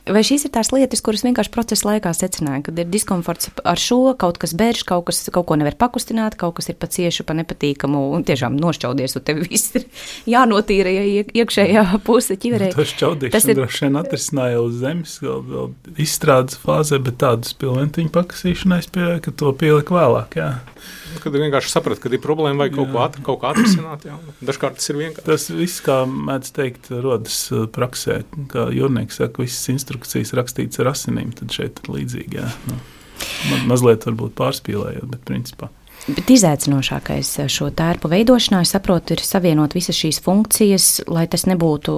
Vai šīs ir tās lietas, kuras vienkārši procesa laikā secināja, kad ir diskomforts ar šo, kaut kas bērš, kaut, kas, kaut ko nevar pakustināt, kaut kas ir pa ciešu, pa nepatīkamu, un tiešām nošķaudies, un tev viss ir jānotīra, ja iekšējā puse ķiverē. Tas šķaudīšana ir... droši vien atrisināja uz zemes, vēl, vēl izstrādes fāzē, bet tādu spilventiņu pakasīšanai spēja, ka to pielika vēlāk, jā. Kad vienkārši saprat, kad ir problēma vai kaut ko, at, kaut ko atrisināt, jā. Dažkārt tas ir vienkārši. Tas viss, kā mēdz teikt, rodas praksē, kā jūrnieks saka, visas instrukcijas rakstītas ar asinīm, tad šeit ir līdzīgi, jā. Nu, ma- mazliet varbūt pārspīlējot, bet principā. Bet izaicinošākais šo tērpu veidošanā, es saprotu, ir savienot visas šīs funkcijas, lai tas nebūtu,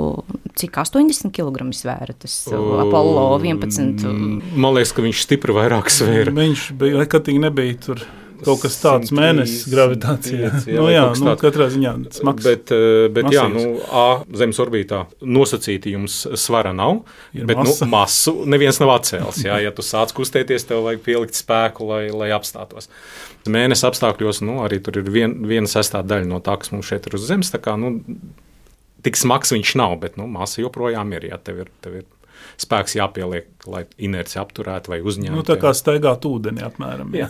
cik astoņdesmit kilogramu svēra, tas uh, Apollo vienpadsmit. Man liekas, ka viņš stipri vairāk svēra. Viņš bija, nekatīgi nebija tur kaut kas tāds mēnesis gravitācijā. Jā, nu, jā nu, katrā ziņā smags. Bet, bet jā, nu, A, Zemes orbītā nosacīti jums svara nav, ir bet masa. Nu, masu neviens nav atcēlis. Jā, ja tu sāc kustēties, tev vajag pielikt spēku, lai, lai apstātos. Mēnesis apstākļos, nu, arī tur ir vien, viena sestā daļa no tā, kas mums šeit ir uz Zemes. Tā kā, nu, tik smags viņš nav, bet nu, masa joprojām ir, ja tev ir, tev ir spēks jāpieliek, lai inerci apturētu vai uzņemtu. Nu, tā kā staigāt ūdeni apmēram. Jā.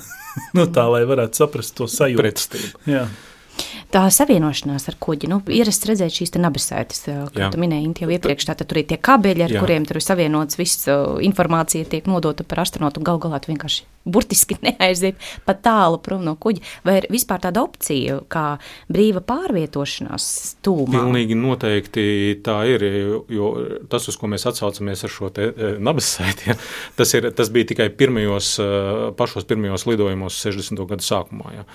Nu, tā, lai varētu saprast to sajūtu. Pretstību. Jā. Tā savienošanās ar kuģi, nu, ierasts redzēt šīs te nabasētas, kā tu minēji, Inti, jau iepriekš, tātad tur ir tie kabeļi, ar jā. kuriem tur ir savienots, viss informācija tiek nodota par astronautu, gal galā tu vienkārši burtiski neaiziet pat tālu prom no kuģa. Vai ir vispār tāda opcija, kā brīva pārvietošanās tūmā? Pilnīgi noteikti tā ir, jo tas, uz ko mēs atsaucamies ar šo te nabasēti, ja, tas, ir, tas bija tikai pirmajos, pašos pirmajos lidojumos sešdesmito gadu sākumā. Ja.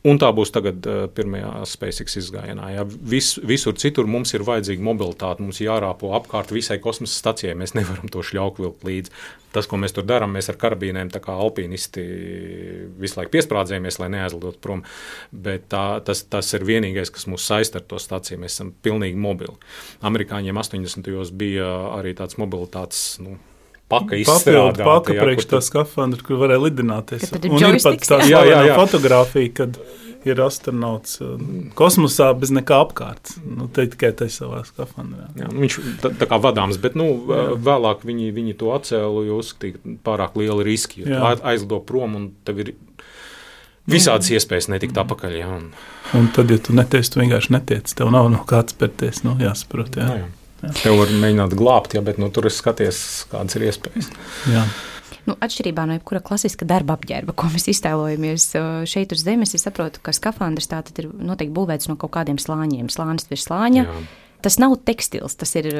Un tā būs tagad pirmajā SpaceX izgājienā. Ja. Vis, visur citur mums ir vajadzīga mobilitāte, mums jārāpo apkārt visai kosmosa stacijai, mēs nevaram to šļauku vilkt līdzi. Tas, ko mēs tur darām, mēs ar karabīnēm tā kā alpīnisti visu laiku piesprādzējamies, lai neaizlidot prom, bet tā, tas, tas ir vienīgais, kas mūs saista ar to staciju, mēs esam pilnīgi mobili. Amerikāņiem astoņdesmitajos bija arī tāds mobilitātes, nu, paka izstrādāta. Papildu paka priekš tā skafandra, kur varēja lidināties. Tad ir un ir pat tā jā, jā, jā. fotogrāfija, kad ir astronauts kosmosā bez nekā apkārt. Nu, te tikai tai savā skafandrā. Jā, viņš tā, tā kā vadāms, bet nu, vēlāk viņi, viņi to atcēlu, jo uzskatīja pārāk lieli riski. Jo aizlido prom un tev ir visādas iespējas netikt apakaļ. Jā, un... un tad, ja tu netiec, tu vienkārši netiec. Tev nav no kāds pērties, nu jāsaprot. Jā. Jā, jā. Jā. Tev var mēģināt glābt, ja, bet nu, tur es skaties, kādas ir iespējas. Jā. Nu, atšķirībā no jebkura klasiska darba apģērba, ko mēs iztēlojamies šeit uz Zemes, es saprotu, ka skafandrs tātad ir noteikti būvēts no kaut kādiem slāņiem. Slānis virs slāņa. Jā. tas nav tekstils, tas ir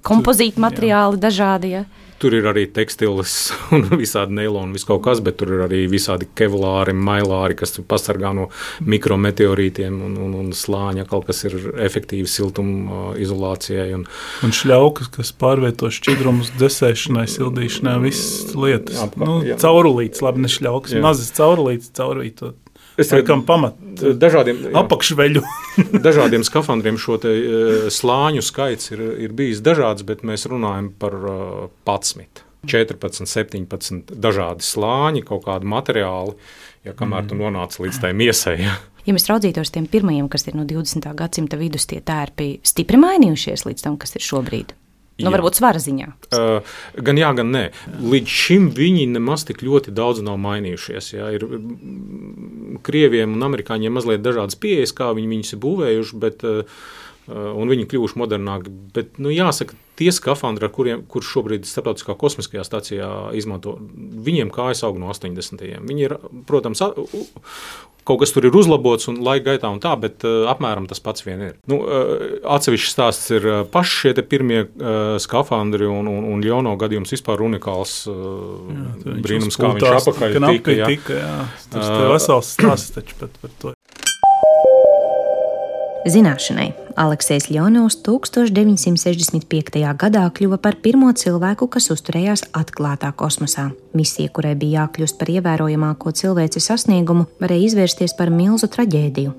kompozīti materiāli dažādi, ja? Tur ir arī tekstils un visādi neiloni, viss kaut kas, bet tur ir arī visādi kevlāri, mailāri, kas pasargā no mikrometeorītiem un, un, un slāņa, kaut kas ir efektīvi siltuma izolācijai. Un, un šļaukas, kas pārvieto šķidrumus dzesēšanai, sildīšanai, visas lietas. Jā, nu, caurulītes, labi, ne šļaukas, mazas caurulītes, caurvītot. Es laikam pamat dažādiem apakšveļu. dažādiem skafandriem šo te slāņu skaits ir, ir bijis dažāds, bet mēs runājam par padsmit, četrpadsmit, septiņpadsmit dažādi slāņi, kaut kādi materiāli, ja kamēr tu nonāc līdz tai miesai. Ja. Ja mēs raudzītos tiem pirmajiem, kas ir no divdesmitā gadsimta vidus, tie tērpi stipri mainījušies līdz tam, kas ir šobrīd? Nu, varbūt svara ziņā. Uh, gan jā, gan nē. Līdz šim viņi nemaz tik ļoti daudz nav mainījušies. Jā. Ir Krieviem un amerikāņiem mazliet dažādas pieejas, kā viņi viņus ir būvējuši, bet, uh, un viņi kļuvuši modernāki. Bet, nu, jāsaka, tie skafandri, ar kuriem, kur šobrīd Starptautiskā kosmiskajā stacijā izmanto, viņiem kājas aug no astoņdesmitajiem. Viņi ir, protams, kaut kas tur ir uzlabots un laika gaitā un tā, bet uh, apmēram tas pats vien ir. Nu, uh, atsevišķs stāsts ir uh, paši šie te pirmie uh, skafandri un, un, un Ļono gadījums vispār unikāls uh, jā, brīnums, kā viņš apakaļ tika. Jā. tika jā. Tas uh, vesels stāsts taču pat par to. Zināšanai, Aleksejs Ļonovs tūkstoš deviņsimt sešdesmit piektajā gadā kļuva par pirmo cilvēku, kas uzturējās atklātā kosmosā. Misija, kurai bija jākļūst par ievērojamāko cilvēces sasniegumu, varēja izvērsties par milzu traģēdiju.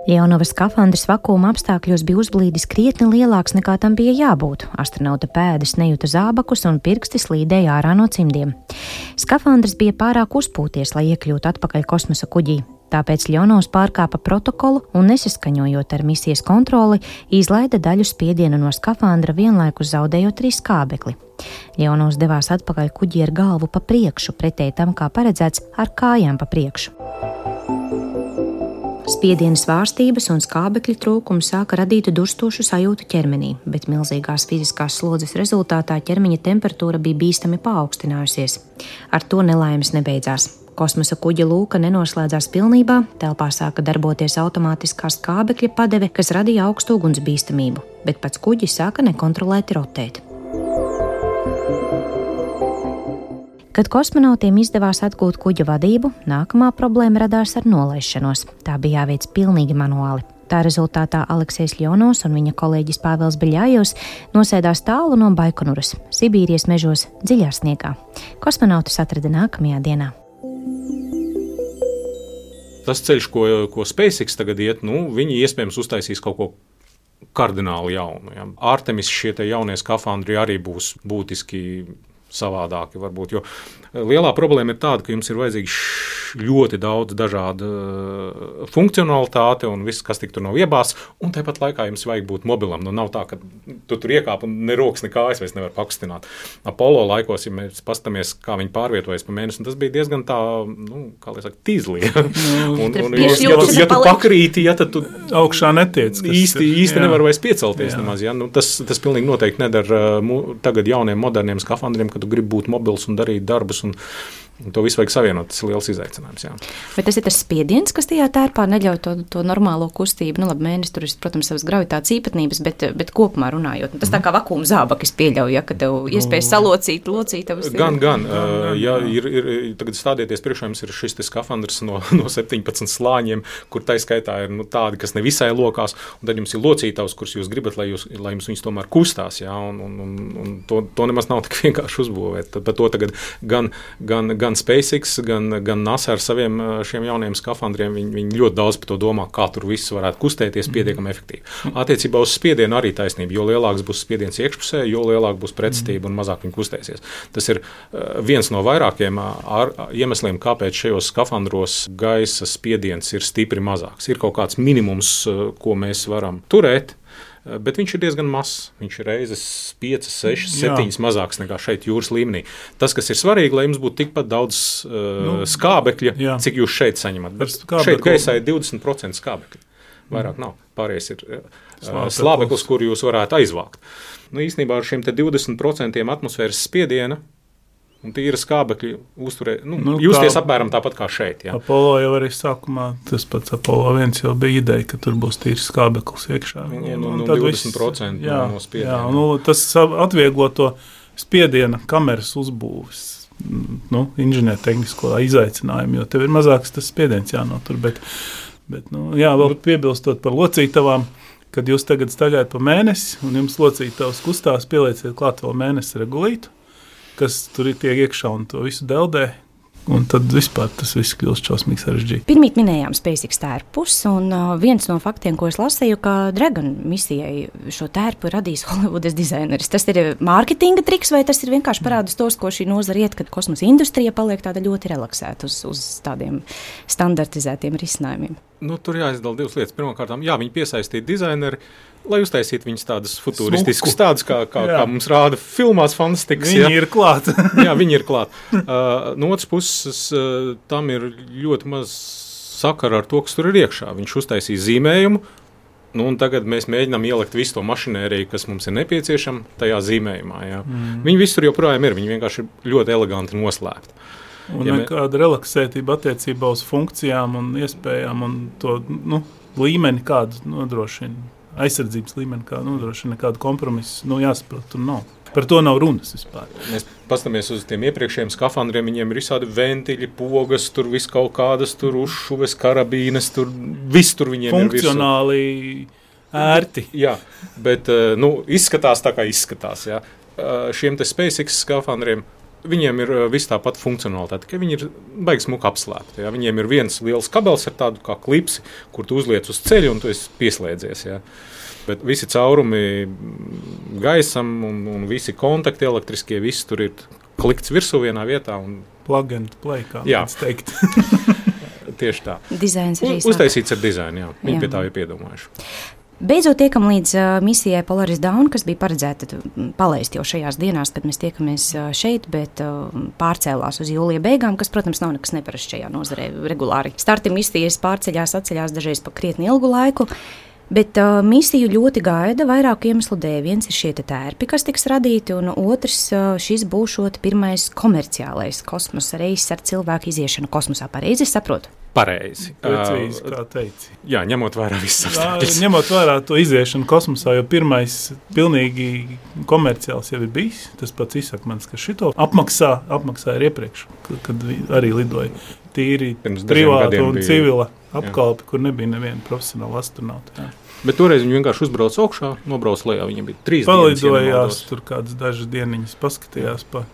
Ļonova skafandrs vakuma apstākļos bija uzblīdis krietni lielāks nekā tam bija jābūt. Astronauta pēdas nejuta zābakus un pirksti slīdēja ārā no cimdiem. Skafandrs bija pārāk uzpūties, lai iekļūtu atpakaļ kosmosa kuģī. Tāpēc Ļonovs pārkāpa protokolu un, nesaskaņojot ar misijas kontroli, izlaida daļu spiedienu no skafandra, vienlaikus zaudējot arī skābekli. Ļonovs devās atpakaļ kuģī ar galvu pa priekšu, pretēji tam, kā paredzēts, ar kājām pa priekšu. Spiediena svārstības un skābekļa trūkums sāka radīt durstošu sajūtu ķermenī, bet milzīgās fiziskās slodzes rezultātā ķermeņa temperatūra bija bīstami paaugstinājusies. Ar to nelaimes nebeidzās. Kosmosa kuģa lūka nenoslēdzās pilnībā, telpā sāka darboties automātiskā skābekļa padeve, kas radīja augstu ugunsbīstamību, bet pats kuģis sāka nekontrolēti rotēt. Kad kosmonautiem izdevās atgūt kuģa vadību, nākamā problēma radās ar nolaišanos. Tā bija jāveic pilnīgi manuāli. Tā rezultātā Aleksejs Ļonovs un viņa kolēģis Pāvils Beļājevs nosēdās tālu no Baikonuras, Sibīrijas mežos, dziļā sniegā. Kosmonautus atrada nākamajā dienā. Tas ceļš, ko, ko SpaceX tagad iet, nu, viņi iespējams uztaisīs kaut ko kardināli jaunu. Ja. Artemis šie te jaunie skafandri arī būs būtiski savādāki varbūt, jo lielā problēma ir tāda, ka jums ir vajadzīgs ļoti daudz dažādu funkcionalitāti un viss, kas tik tur nav iebāzts, un tāpat laikā jums vajag būt mobilam. Nu, nav tā, ka tu tur iekāp un ne rokas, ne kājas vairs nevar pakustināt. Apollo laikos, ja mēs pastamies, kā viņi pārvietojas pa mēnesi, tas bija diezgan tā, nu, kā lai saka, tīzli. un, un, ja, ja, tu, ja tu pakrīti, ja tad tu augšā netiec. Īsti, īsti nevar vairs piecelties jā. Nemaz. Ja? Nu, tas, tas pilnīgi noteikti nedara tagad jauniem moderniem skafandriem, kad tu gribi būt mobils un darīt darbus. Un, un to visu vajag savienot, tas ir liels izaicinājums. Jā. Bet tas ir tas spiediens, kas tajā tērpā neļauj to, to normālo kustību. Nu, labi, mēnesis tur ir, protams, savas gravitācijas īpatnības, bet, bet kopumā runājot. Nu, tas tā kā vakuma zābakis pieļauj, ja, ka tev iespējas salocīt, locīt. Gan, gan. Uh, ja ir, ir, tagad stādieties priekšā, jums ir šis te skafandrs no, no septiņpadsmit slāņiem, kur taiskaitā ir nu, tādi, kas nevisai lokās, un tad jums ir locītavs, kurus jūs gribat, lai, jūs, lai jums viņus tomēr kustās, jā, un, un, un, un to, to nemaz nav tik vienkārši uzbūvēt. Tad par to tagad gan, gan, gan SpaceX, gan, gan NASA ar saviem šiem jauniem skafandriem, viņi, viņi ļoti daudz par to domā, kā tur viss varētu kustēties pietiekami efektīvi. Attiecībā uz spiedienu arī taisnība, jo lielāks būs spiediens iekšpusē, jo lielāk būs pretstība un mazāk viņi kustēsies. Tas ir viens no vairākiem ar, iemesliem, kāpēc šajos skafandros gaisa spiediens ir stipri mazāks. Ir kaut kāds minimums, ko mēs varam turēt, bet viņš ir diezgan mazs. Viņš ir reizes piecas, sešas, septiņas mazāks nekā šeit jūras līmenī. Tas, kas ir svarīgi, lai jums būtu tikpat daudz uh, nu, skābekļa, jā. Cik jūs šeit saņemat. Bet šeit gaisā ir divdesmit procenti skābekļa. Vairāk nav. Pārējais ir uh, slābeklis, kur jūs varētu aizvākt. Nu, īstenībā ar šiem te divdesmit procentiem atmosfēras spiediena un tīra skābekļa uzturē, nu, Nu, justies kā- apmēram tāpat kā šeit. Jā. Apollo jau arī sākumā, tas pats Apollo viens jau bija ideja, ka tur būs tīrs skābeklis iekšā. Viņiem Un- nu, un nu, tad divdesmit viss- procenti jā, no spiediena. Jā, nu, tas atvieglo to spiediena kameras uzbūves, nu, inženiertehnisko izaicinājumu, jo tev ir mazāks tas spiediens jānotur. Bet, bet nu, jā, vēl piebilstot par locītavām, kad jūs tagad staigājat pa mēnesi un jums locītavas kustās, pielieciet klāt vēl mēnesi regulītu, kas tur ir tiek iekšā un to visu deldē. Un tad vispār tas viss kļūst šausmīgi sarežģīti. Pirmīt minējām SpaceX tērpus, un uh, viens no faktiem, ko es lasīju, ka Dragon misijai šo tērpu radīs Holivudas dizaineris. Tas ir mārketinga triks, vai tas ir vienkārši parādus tos, ko šī nozara iet, kad kosmosa industrija paliek tāda ļoti relaksēta uz, uz tādiem standartizētiem risinājumiem? Nu, tur jāizdala divas lietas. Pirmkārt, jā, viņi piesaistīja dizaineri, lai uztaisītu viņus tādus futuristiskus, tādus, kā, kā, kā mums rāda filmās fantastikas. Viņi jā. ir klāt. Jā, viņi ir klāt. Uh, no otras puses, uh, tam ir ļoti maz sakara ar to, kas tur ir iekšā. Viņš uztaisīja zīmējumu, nu, un tagad mēs mēģinām ielikt visu to mašinēriju, kas mums ir nepieciešama tajā zīmējumā. Jā. Mm. Viņi visur joprojām ir, viņi vienkārši ir ļoti eleganti noslēpti. Un Ja mē- nekāda relaksētība attiecībā uz funkcijām un iespējām un to nu, līmeni, kādu nodrošina, aizsardzības līmeni, kādu nodrošina, nekādu kompromisu, nu, jāsaprot, tur nav. Par to nav runas vispār. Mēs paskatāmies uz tiem iepriekšējiem skafandriem, viņiem ir visādi ventiļi, pogas, tur viss kaut kādas, tur uzšuves, karabīnes, tur viss tur viņiem ir virsū. Funkcionāli ērti. Jā, bet uh, nu, izskatās tā, kā izskatās. Jā. Uh, šiem te SpaceX skafandriem viņiem ir uh, viss tāpat funkcionalitāte, ka viņi ir baigi smuki apslēpti. Jā. Viņiem ir viens liels kabels ar tādu kā klipsi, kur tu uzliec uz ceļa un tu esi pieslēdzies. Jā. Bet visi caurumi gaisam un, un visi kontakti elektriskie, viss tur ir klikts virsū vienā vietā. Un, Plug and play, kā Jā. mēs teikt. tieši tā. Dizains arī U, uztaisīts ar dizainu, jā. Viņi Jā. pie tā ir piedomājuši. Beidzot, tiekam līdz uh, misijai Polaris Dawn, kas bija paredzēta mm, palaist jau šajās dienās, kad mēs tiekamies uh, šeit, bet uh, pārcēlās uz jūlija beigām, kas, protams, nav nekas neparasts šajā nozarē. Regulāri starti misijas pārceļās, atceļās dažreiz pa krietni ilgu laiku. Bet uh, misiju ļoti gaida vairāku iemeslu dēļ. Viens ir šie te tērpi, kas tiks radīti, un otrs uh, šis būšot pirmais komerciālais kosmosa reiss ar cilvēku iziešanu kosmosā. Pareizi saprotu? Pareizi. Precīzi, Uh, kā teici. jā, ņemot vērā visas Jā, apstākļus. ņemot vērā to iziešanu kosmosā, jo pirmais pilnīgi komerciāls jau ir bijis. Tas pats Isakmans, ka šito apmaksā, apmaksāja ir iepriekš, kad, kad vi- arī lidoja tīri Pirms dažiem privāta gadiem un bija- civila apkalpe, kur nebija neviena profesionāla astronauta. Jā. Bet toreiz viņi vienkārši uzbrauca augšā, nobrauca lejā. Viņiem bija trīs dienas, ja Palidojās, nemaldos. tur kādas dažas dieniņas paskatījās pa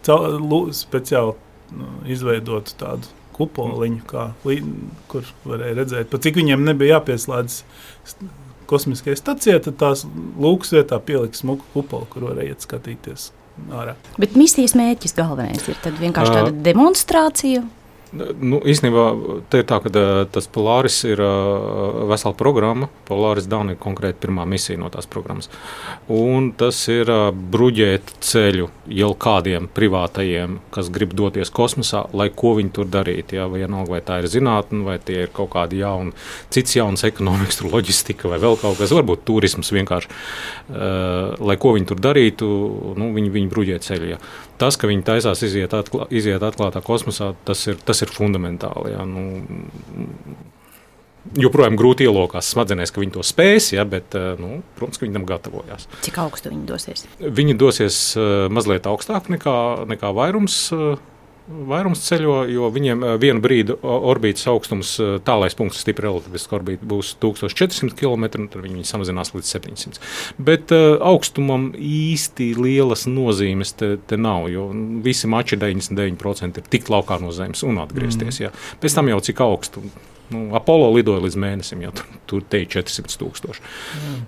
cau- lu- speciāli nu, izveidotu tādu kupoliņu, kā, li- kur varēja redzēt, pa cik viņiem nebija jāpieslēdz st- kosmiskajai stacijai, tad tās lūks vietā pieliks smuku kupolu, kur varēja iet skatīties ārā. Bet misijas mērķis galvenais ir tad vienkārši tāda Ā. demonstrācija. Nu, īstenībā te ir tā, ka ā, tas Polaris ir ā, vesela programma. Polaris Dawn ir konkrēti pirmā misija no tās programmas. Un tas ir ā, bruģēt ceļu jau kādiem privātajiem, kas grib doties kosmosā, lai ko viņi tur darītu. Ja? Vai, vienalga, vai tā ir zinātne, vai tie ir kaut kādi jauni, cits jauns ekonomikas, tur loģistika vai vēl kaut kas, varbūt turisms vienkārši. Uh, lai ko viņi tur darītu, nu, viņi, viņi bruģē ceļu. Ja? Tas, ka viņi taisās iziet, atklā, iziet atklātā kosmosā, tas ir, tas ir fundamentāli. Ja? Nu, joprojām grūti ielokās smadzenēs, ka viņi to spēs, ja? Bet, nu, protams, ka viņi tam gatavojās. Cik augstu viņi dosies? Viņi dosies uh, mazliet augstāk nekā, nekā vairums. Uh, Vairums ceļo, jo viņiem uh, vienu brīdi o- orbītas augstums, uh, tālais punkts, stipri relativiska orbīta, būs tūkstoš četri simti kilometri, un tad viņi samazinās līdz septiņsimt. Bet uh, augstumam īsti lielas nozīmes te, te nav, jo visi mači deviņdesmit deviņi procenti ir tikt laukā no Zemes un atgriezties. Mm. Jā. Pēc tam jau cik augstu. Nu, Apollo lidoja līdz mēnesim, jau tur, tur te ir četrsimt tūkstoši. Jā.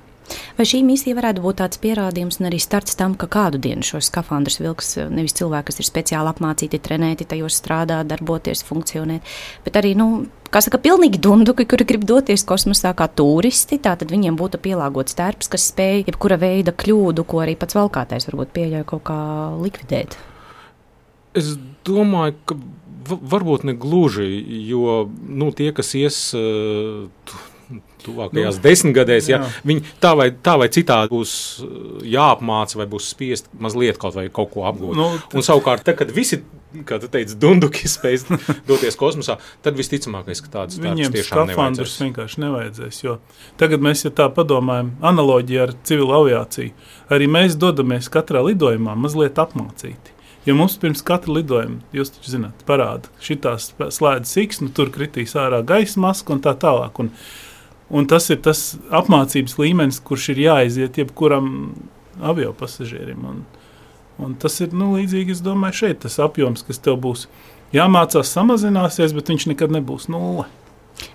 Vai šī misija varētu būt tāds pierādījums un arī starts tam, ka kādu dienu šos skafandrus vilks nevis cilvēki, kas ir speciāli apmācīti, trenēti, tajos strādāt, darboties, funkcionēt, bet arī, nu, kā saka, pilnīgi dunduki, kuri grib doties kosmosā kā turisti, tātad viņiem būtu pielāgots tērps, kas spēj jebkura veida kļūdu, ko arī pats valkātais varbūt pieļauj kaut kā likvidēt. Es domāju, ka v- varbūt ne gluži, jo nu, tie, kas ies uh, tuvākajās nu, desmitgadēs, ja viņi tā vai, tā vai citādi būs jāapmāca vai būs spiest mazliet kaut vai kaut ko apgūt. Nu, un savukārt, tad, kad visi, kā tu teici, dunduki spēj doties kosmosā, tad visticamākais, ka tādas darbs tiešām nevajadzēs. Viņiem skafandrus vienkārši nevajadzēs, jo tagad mēs, ja tā padomājam, analoģija ar civilu aviāciju, arī mēs dodamies katrā lidojumā mazliet apmācīti. Jo mums pirms katra lidojuma, jūs taču zināt, parāda, šitās slēdz X, nu tur kritīs ārā gaisa maska un tā tālāk. Un, un tas ir tas apmācības līmenis, kurš ir jāaiziet jebkuram avio pasažierim. Un, un tas ir, nu, līdzīgi, es domāju, šeit tas apjoms, kas tev būs jāmācās, samazināsies, bet viņš nekad nebūs nulle.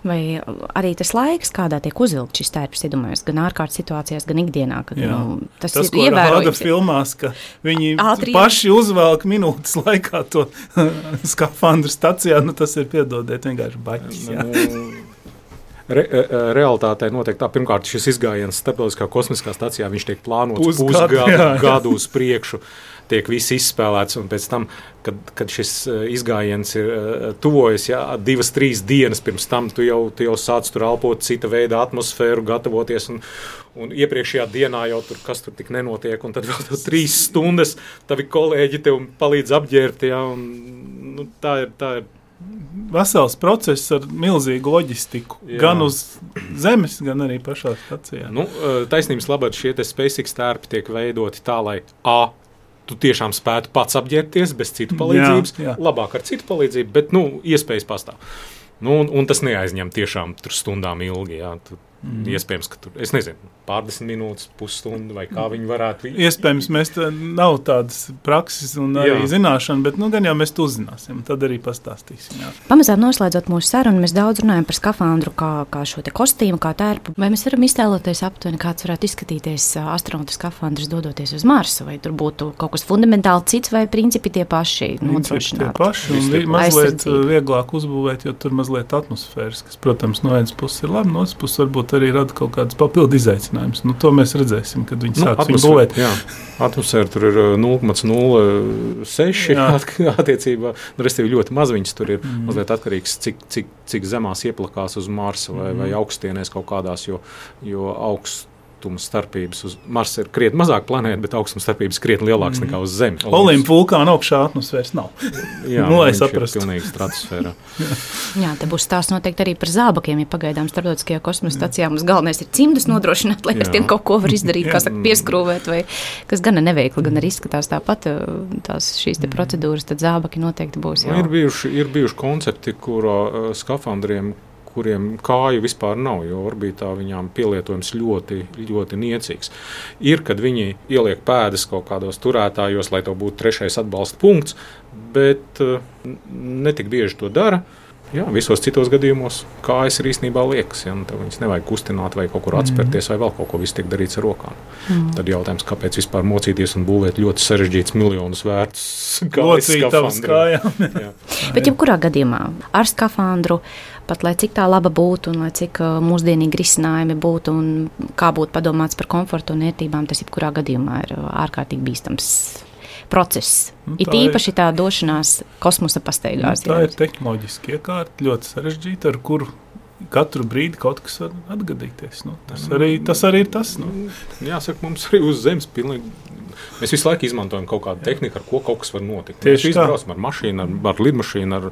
Vai arī tas laiks, kādā tiek uzvilkt šis tērps, iedomājas, gan ārkārtas situācijās, gan ikdienā, kad nu, tas, tas ir ievērojams. Tas, ko rāda filmās, ka viņi ātri paši uzvelk minūtes laikā to skafandru stacijā, nu tas ir, piedodiet, vienkārši baķis. Jā. Re, realitātei notiek tā, pirmkārt, šis izgājiens starptautiskā kosmiskā stacijā, viņš tiek plānots pusgadu gadu uz priekšu, tiek viss izspēlēts, un pēc tam, kad, kad šis izgājiens ir tuvojas, jā, divas, trīs dienas pirms tam, tu jau, tu jau sāc tur elpot cita veida atmosfēru, gatavoties, un, un iepriekšējā dienā jau tur, kas tur tik nenotiek, un tad vēl tev trīs stundas, tavi kolēģi tev palīdz apģērbt, jā, un nu, tā ir, tā ir. Vesels process ar milzīgu loģistiku, jā. Gan uz zemes, gan arī pašā stacijā. Nu, taisnības labāk šie te SpaceX tērpi tiek veidoti tā, lai A, tu tiešām spētu pats apģērbties bez citu palīdzības, jā, jā. Labāk ar citu palīdzību, bet, nu, iespējas pastāv. Nu, un, un tas neaizņem tiešām tur stundām ilgi, jā, tu, mm. iespējams, ka tur, es nezinu, pārdesmit minūtes, pusstundu vai kā viņi varētu. Iespējams, mēs tā, nav tādas prakses un arī jā. Zināšana, bet, nu, gan jau mēs to uzzināsim, tad arī pastāstīsim, jā. Pamazām noslēdzot mūsu sarunu, mēs daudz runājam par skafandru kā, kā šo te kostīmu, kā tērpu. Vai mēs varam iztēloties aptuveni, kāds varētu izskatīties astronauta skafandrs dodoties uz Marsu, vai tur būtu kaut kas fundamentāli cits, vai principi tie paši nodrošināti? Principi tie paši un vi, mazliet vieglāk uzbūvēt, jo tur mazliet atmosfēras, kas, protams, no vienas puses ir labi, no otras puses varbūt arī rada kaut kādas papildu izaicinājumus. Nu, to mēs redzēsim, kad viņi nu, sāks viņu būvēt. Jā, atmosfēra tur ir nulle komats nulle seši attiecībā, nu, restīvi ļoti maz viņas tur ir, mm. mazliet atkarīgs, cik, cik, cik zemās ieplakās uz Marsa vai, mm. vai augstienēs kaut kādās, jo, jo augsts starpības uz Marsa ir krietni mazāk planēta, bet augstuma starpības krietni lielāks mm. nekā uz Zemi. Olimpa vulkāna augšā atmosfēras nav. Jā, nu, lai viņš saprastu. Ir pilnīgi stratosfērā. Jā, te būs stāsts noteikti arī par zābakiem, ja pagaidām starptautiskajā kosmosa stacijā mums galvenais ir cimdus nodrošināt, lai pēc tiem kaut ko var izdarīt, kā saka, pieskrūvēt, vai kas gan neveikli, gan arī izskatās tāpat tās šīs te procedūras, tad zābaki noteikti būs jau. Ir bijuši, ir bijuši koncepti, kura uh, skafandriem kuriem kāju vispār nav, jo orbītā viņām pielietojums ļoti, ļoti niecīgs. Ir, kad viņi ieliek pēdas kaut kādos turētājos, lai to būtu trešais atbalsta punkts, bet uh, netik bieži to dara. Jā, visos citos gadījumos kājas ir īstenībā liekas, ja, nu, viņas nevajag kustināt vai kaut kur atspērties, vai vēl kaut ko, viss tiek darīts ar rokām. Mm. Tad jautājums, kāpēc vispār mocīties un būvēt ļoti sarežģīts miljonus vērts kājas skafandru. Bet jebkurā gadījumā ar skafandru, pat lai cik tā laba būtu un lai cik mūsdienīgi risinājumi būtu un kā būtu padomāts par komfortu un ērtībām, tas jebkurā gadījumā ir ārkārtīgi bīstams process. Nu, it īpaši tā došanās kosmosa pastaigās. Nu, tā jā. Ir tehnoloģiski iekārta, ļoti sarežģīta, ar kuru katru brīdi kaut kas var atgadīties. Nu, tas, arī, tas arī ir tas. Nu. Jāsaka, mums arī uz Zemes pilnīgi. Mēs visu laiku izmantojam kaut kādu tehniku, ar ko kaut kas var notikt. Tieši mēs izbraucam ar mašīnu, ar, ar lidmašīnu, ar,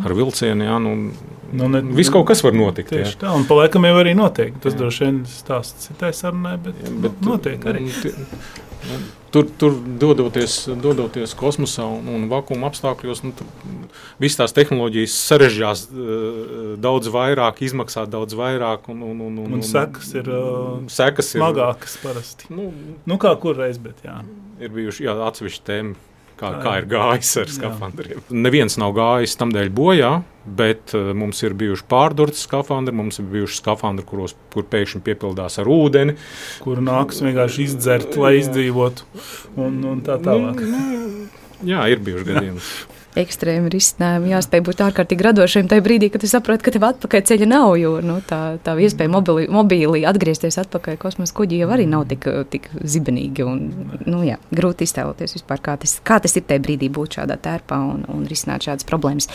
ar vilcienu. Jā, nu, nu, ne, viss kaut kas var notikt. Tieši jā. tā, un pa laikam jau arī notiek. Tas droši vien stāsts citai sarunai, bet, jā, bet nu, notiek arī. Nu, Tur, tur dodoties, dodoties kosmosā un, un vakuma apstākļos, nu, visas tās tehnoloģijas sarežģās uh, daudz vairāk, izmaksā daudz vairāk. Un, un, un, un, un sekas ir, uh, sekas ir smagākas parasti. Nu, nu kā kur reiz, bet jā. Ir bijuši jā, atsevišķi tēma, kā, kā ir gājis ar skafandriem. Neviens nav gājis tamdēļ bojā, bet uh, mums ir bijuši pārdurti skafandri, mums ir bijuši skafandri, kuros, kur pēkšņi piepildās ar ūdeni. Kuru nākas vienkārši izdzert, lai izdzīvotu un, un tā tālāk. Nu, nu, jā, ir bijuši gadījumi. ekstrēmi risinājumi. Jāspēj būt ārkārtīgi radošiem tajā brīdī, kad tu saproti, ka tev atpakaļ ceļa nav, jo nu, tā, tā iespēja mobili, mobīlī atgriezties atpakaļ kosmosa kuģi jau arī nav tik, tik zibenīgi. Un, nu, jā, grūti iztēloties vispār, kā tas, kā tas ir tajā brīdī būt šādā tērpā un, un risināt šādas problēmas.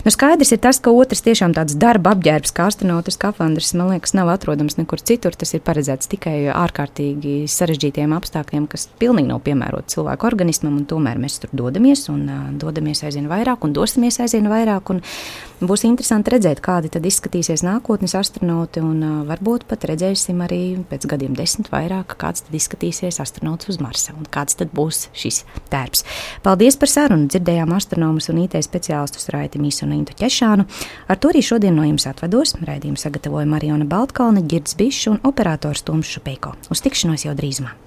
Nu, skaidrs ir tas, ka otrs tiešām tāds darba apģērbs, kā astronauta skafandrs, man liekas, nav atrodams nekur citur. Tas ir paredzēts tikai ārkārtīgi sarežģītiem apstākļiem, kas pilnīgi nav piemēroti cilvēku organismam, un tomēr mēs tur dodamies un uh, dodamies aizvien vairāk un dosimies aizvien vairāk. Un būs interesanti redzēt, kādi tad izskatīsies nākotnes astronauti, un uh, varbūt pat redzēsim arī pēc gadiem desmit vairāk, kāds tad izskatīsies astronauts uz Marsa un kāds tad būs šis tērps. Paldies par sarunu! Dzirdējām astronomus un I T speciālistus Raiti Mīsu un Intu Ķešānu. Ar to arī šodien no jums atvados. Raidījumu sagatavoja Mariona Baltkalne, Girds Bišs un operators Toms Šupeiko. Uz tikšanos jau drīzumā!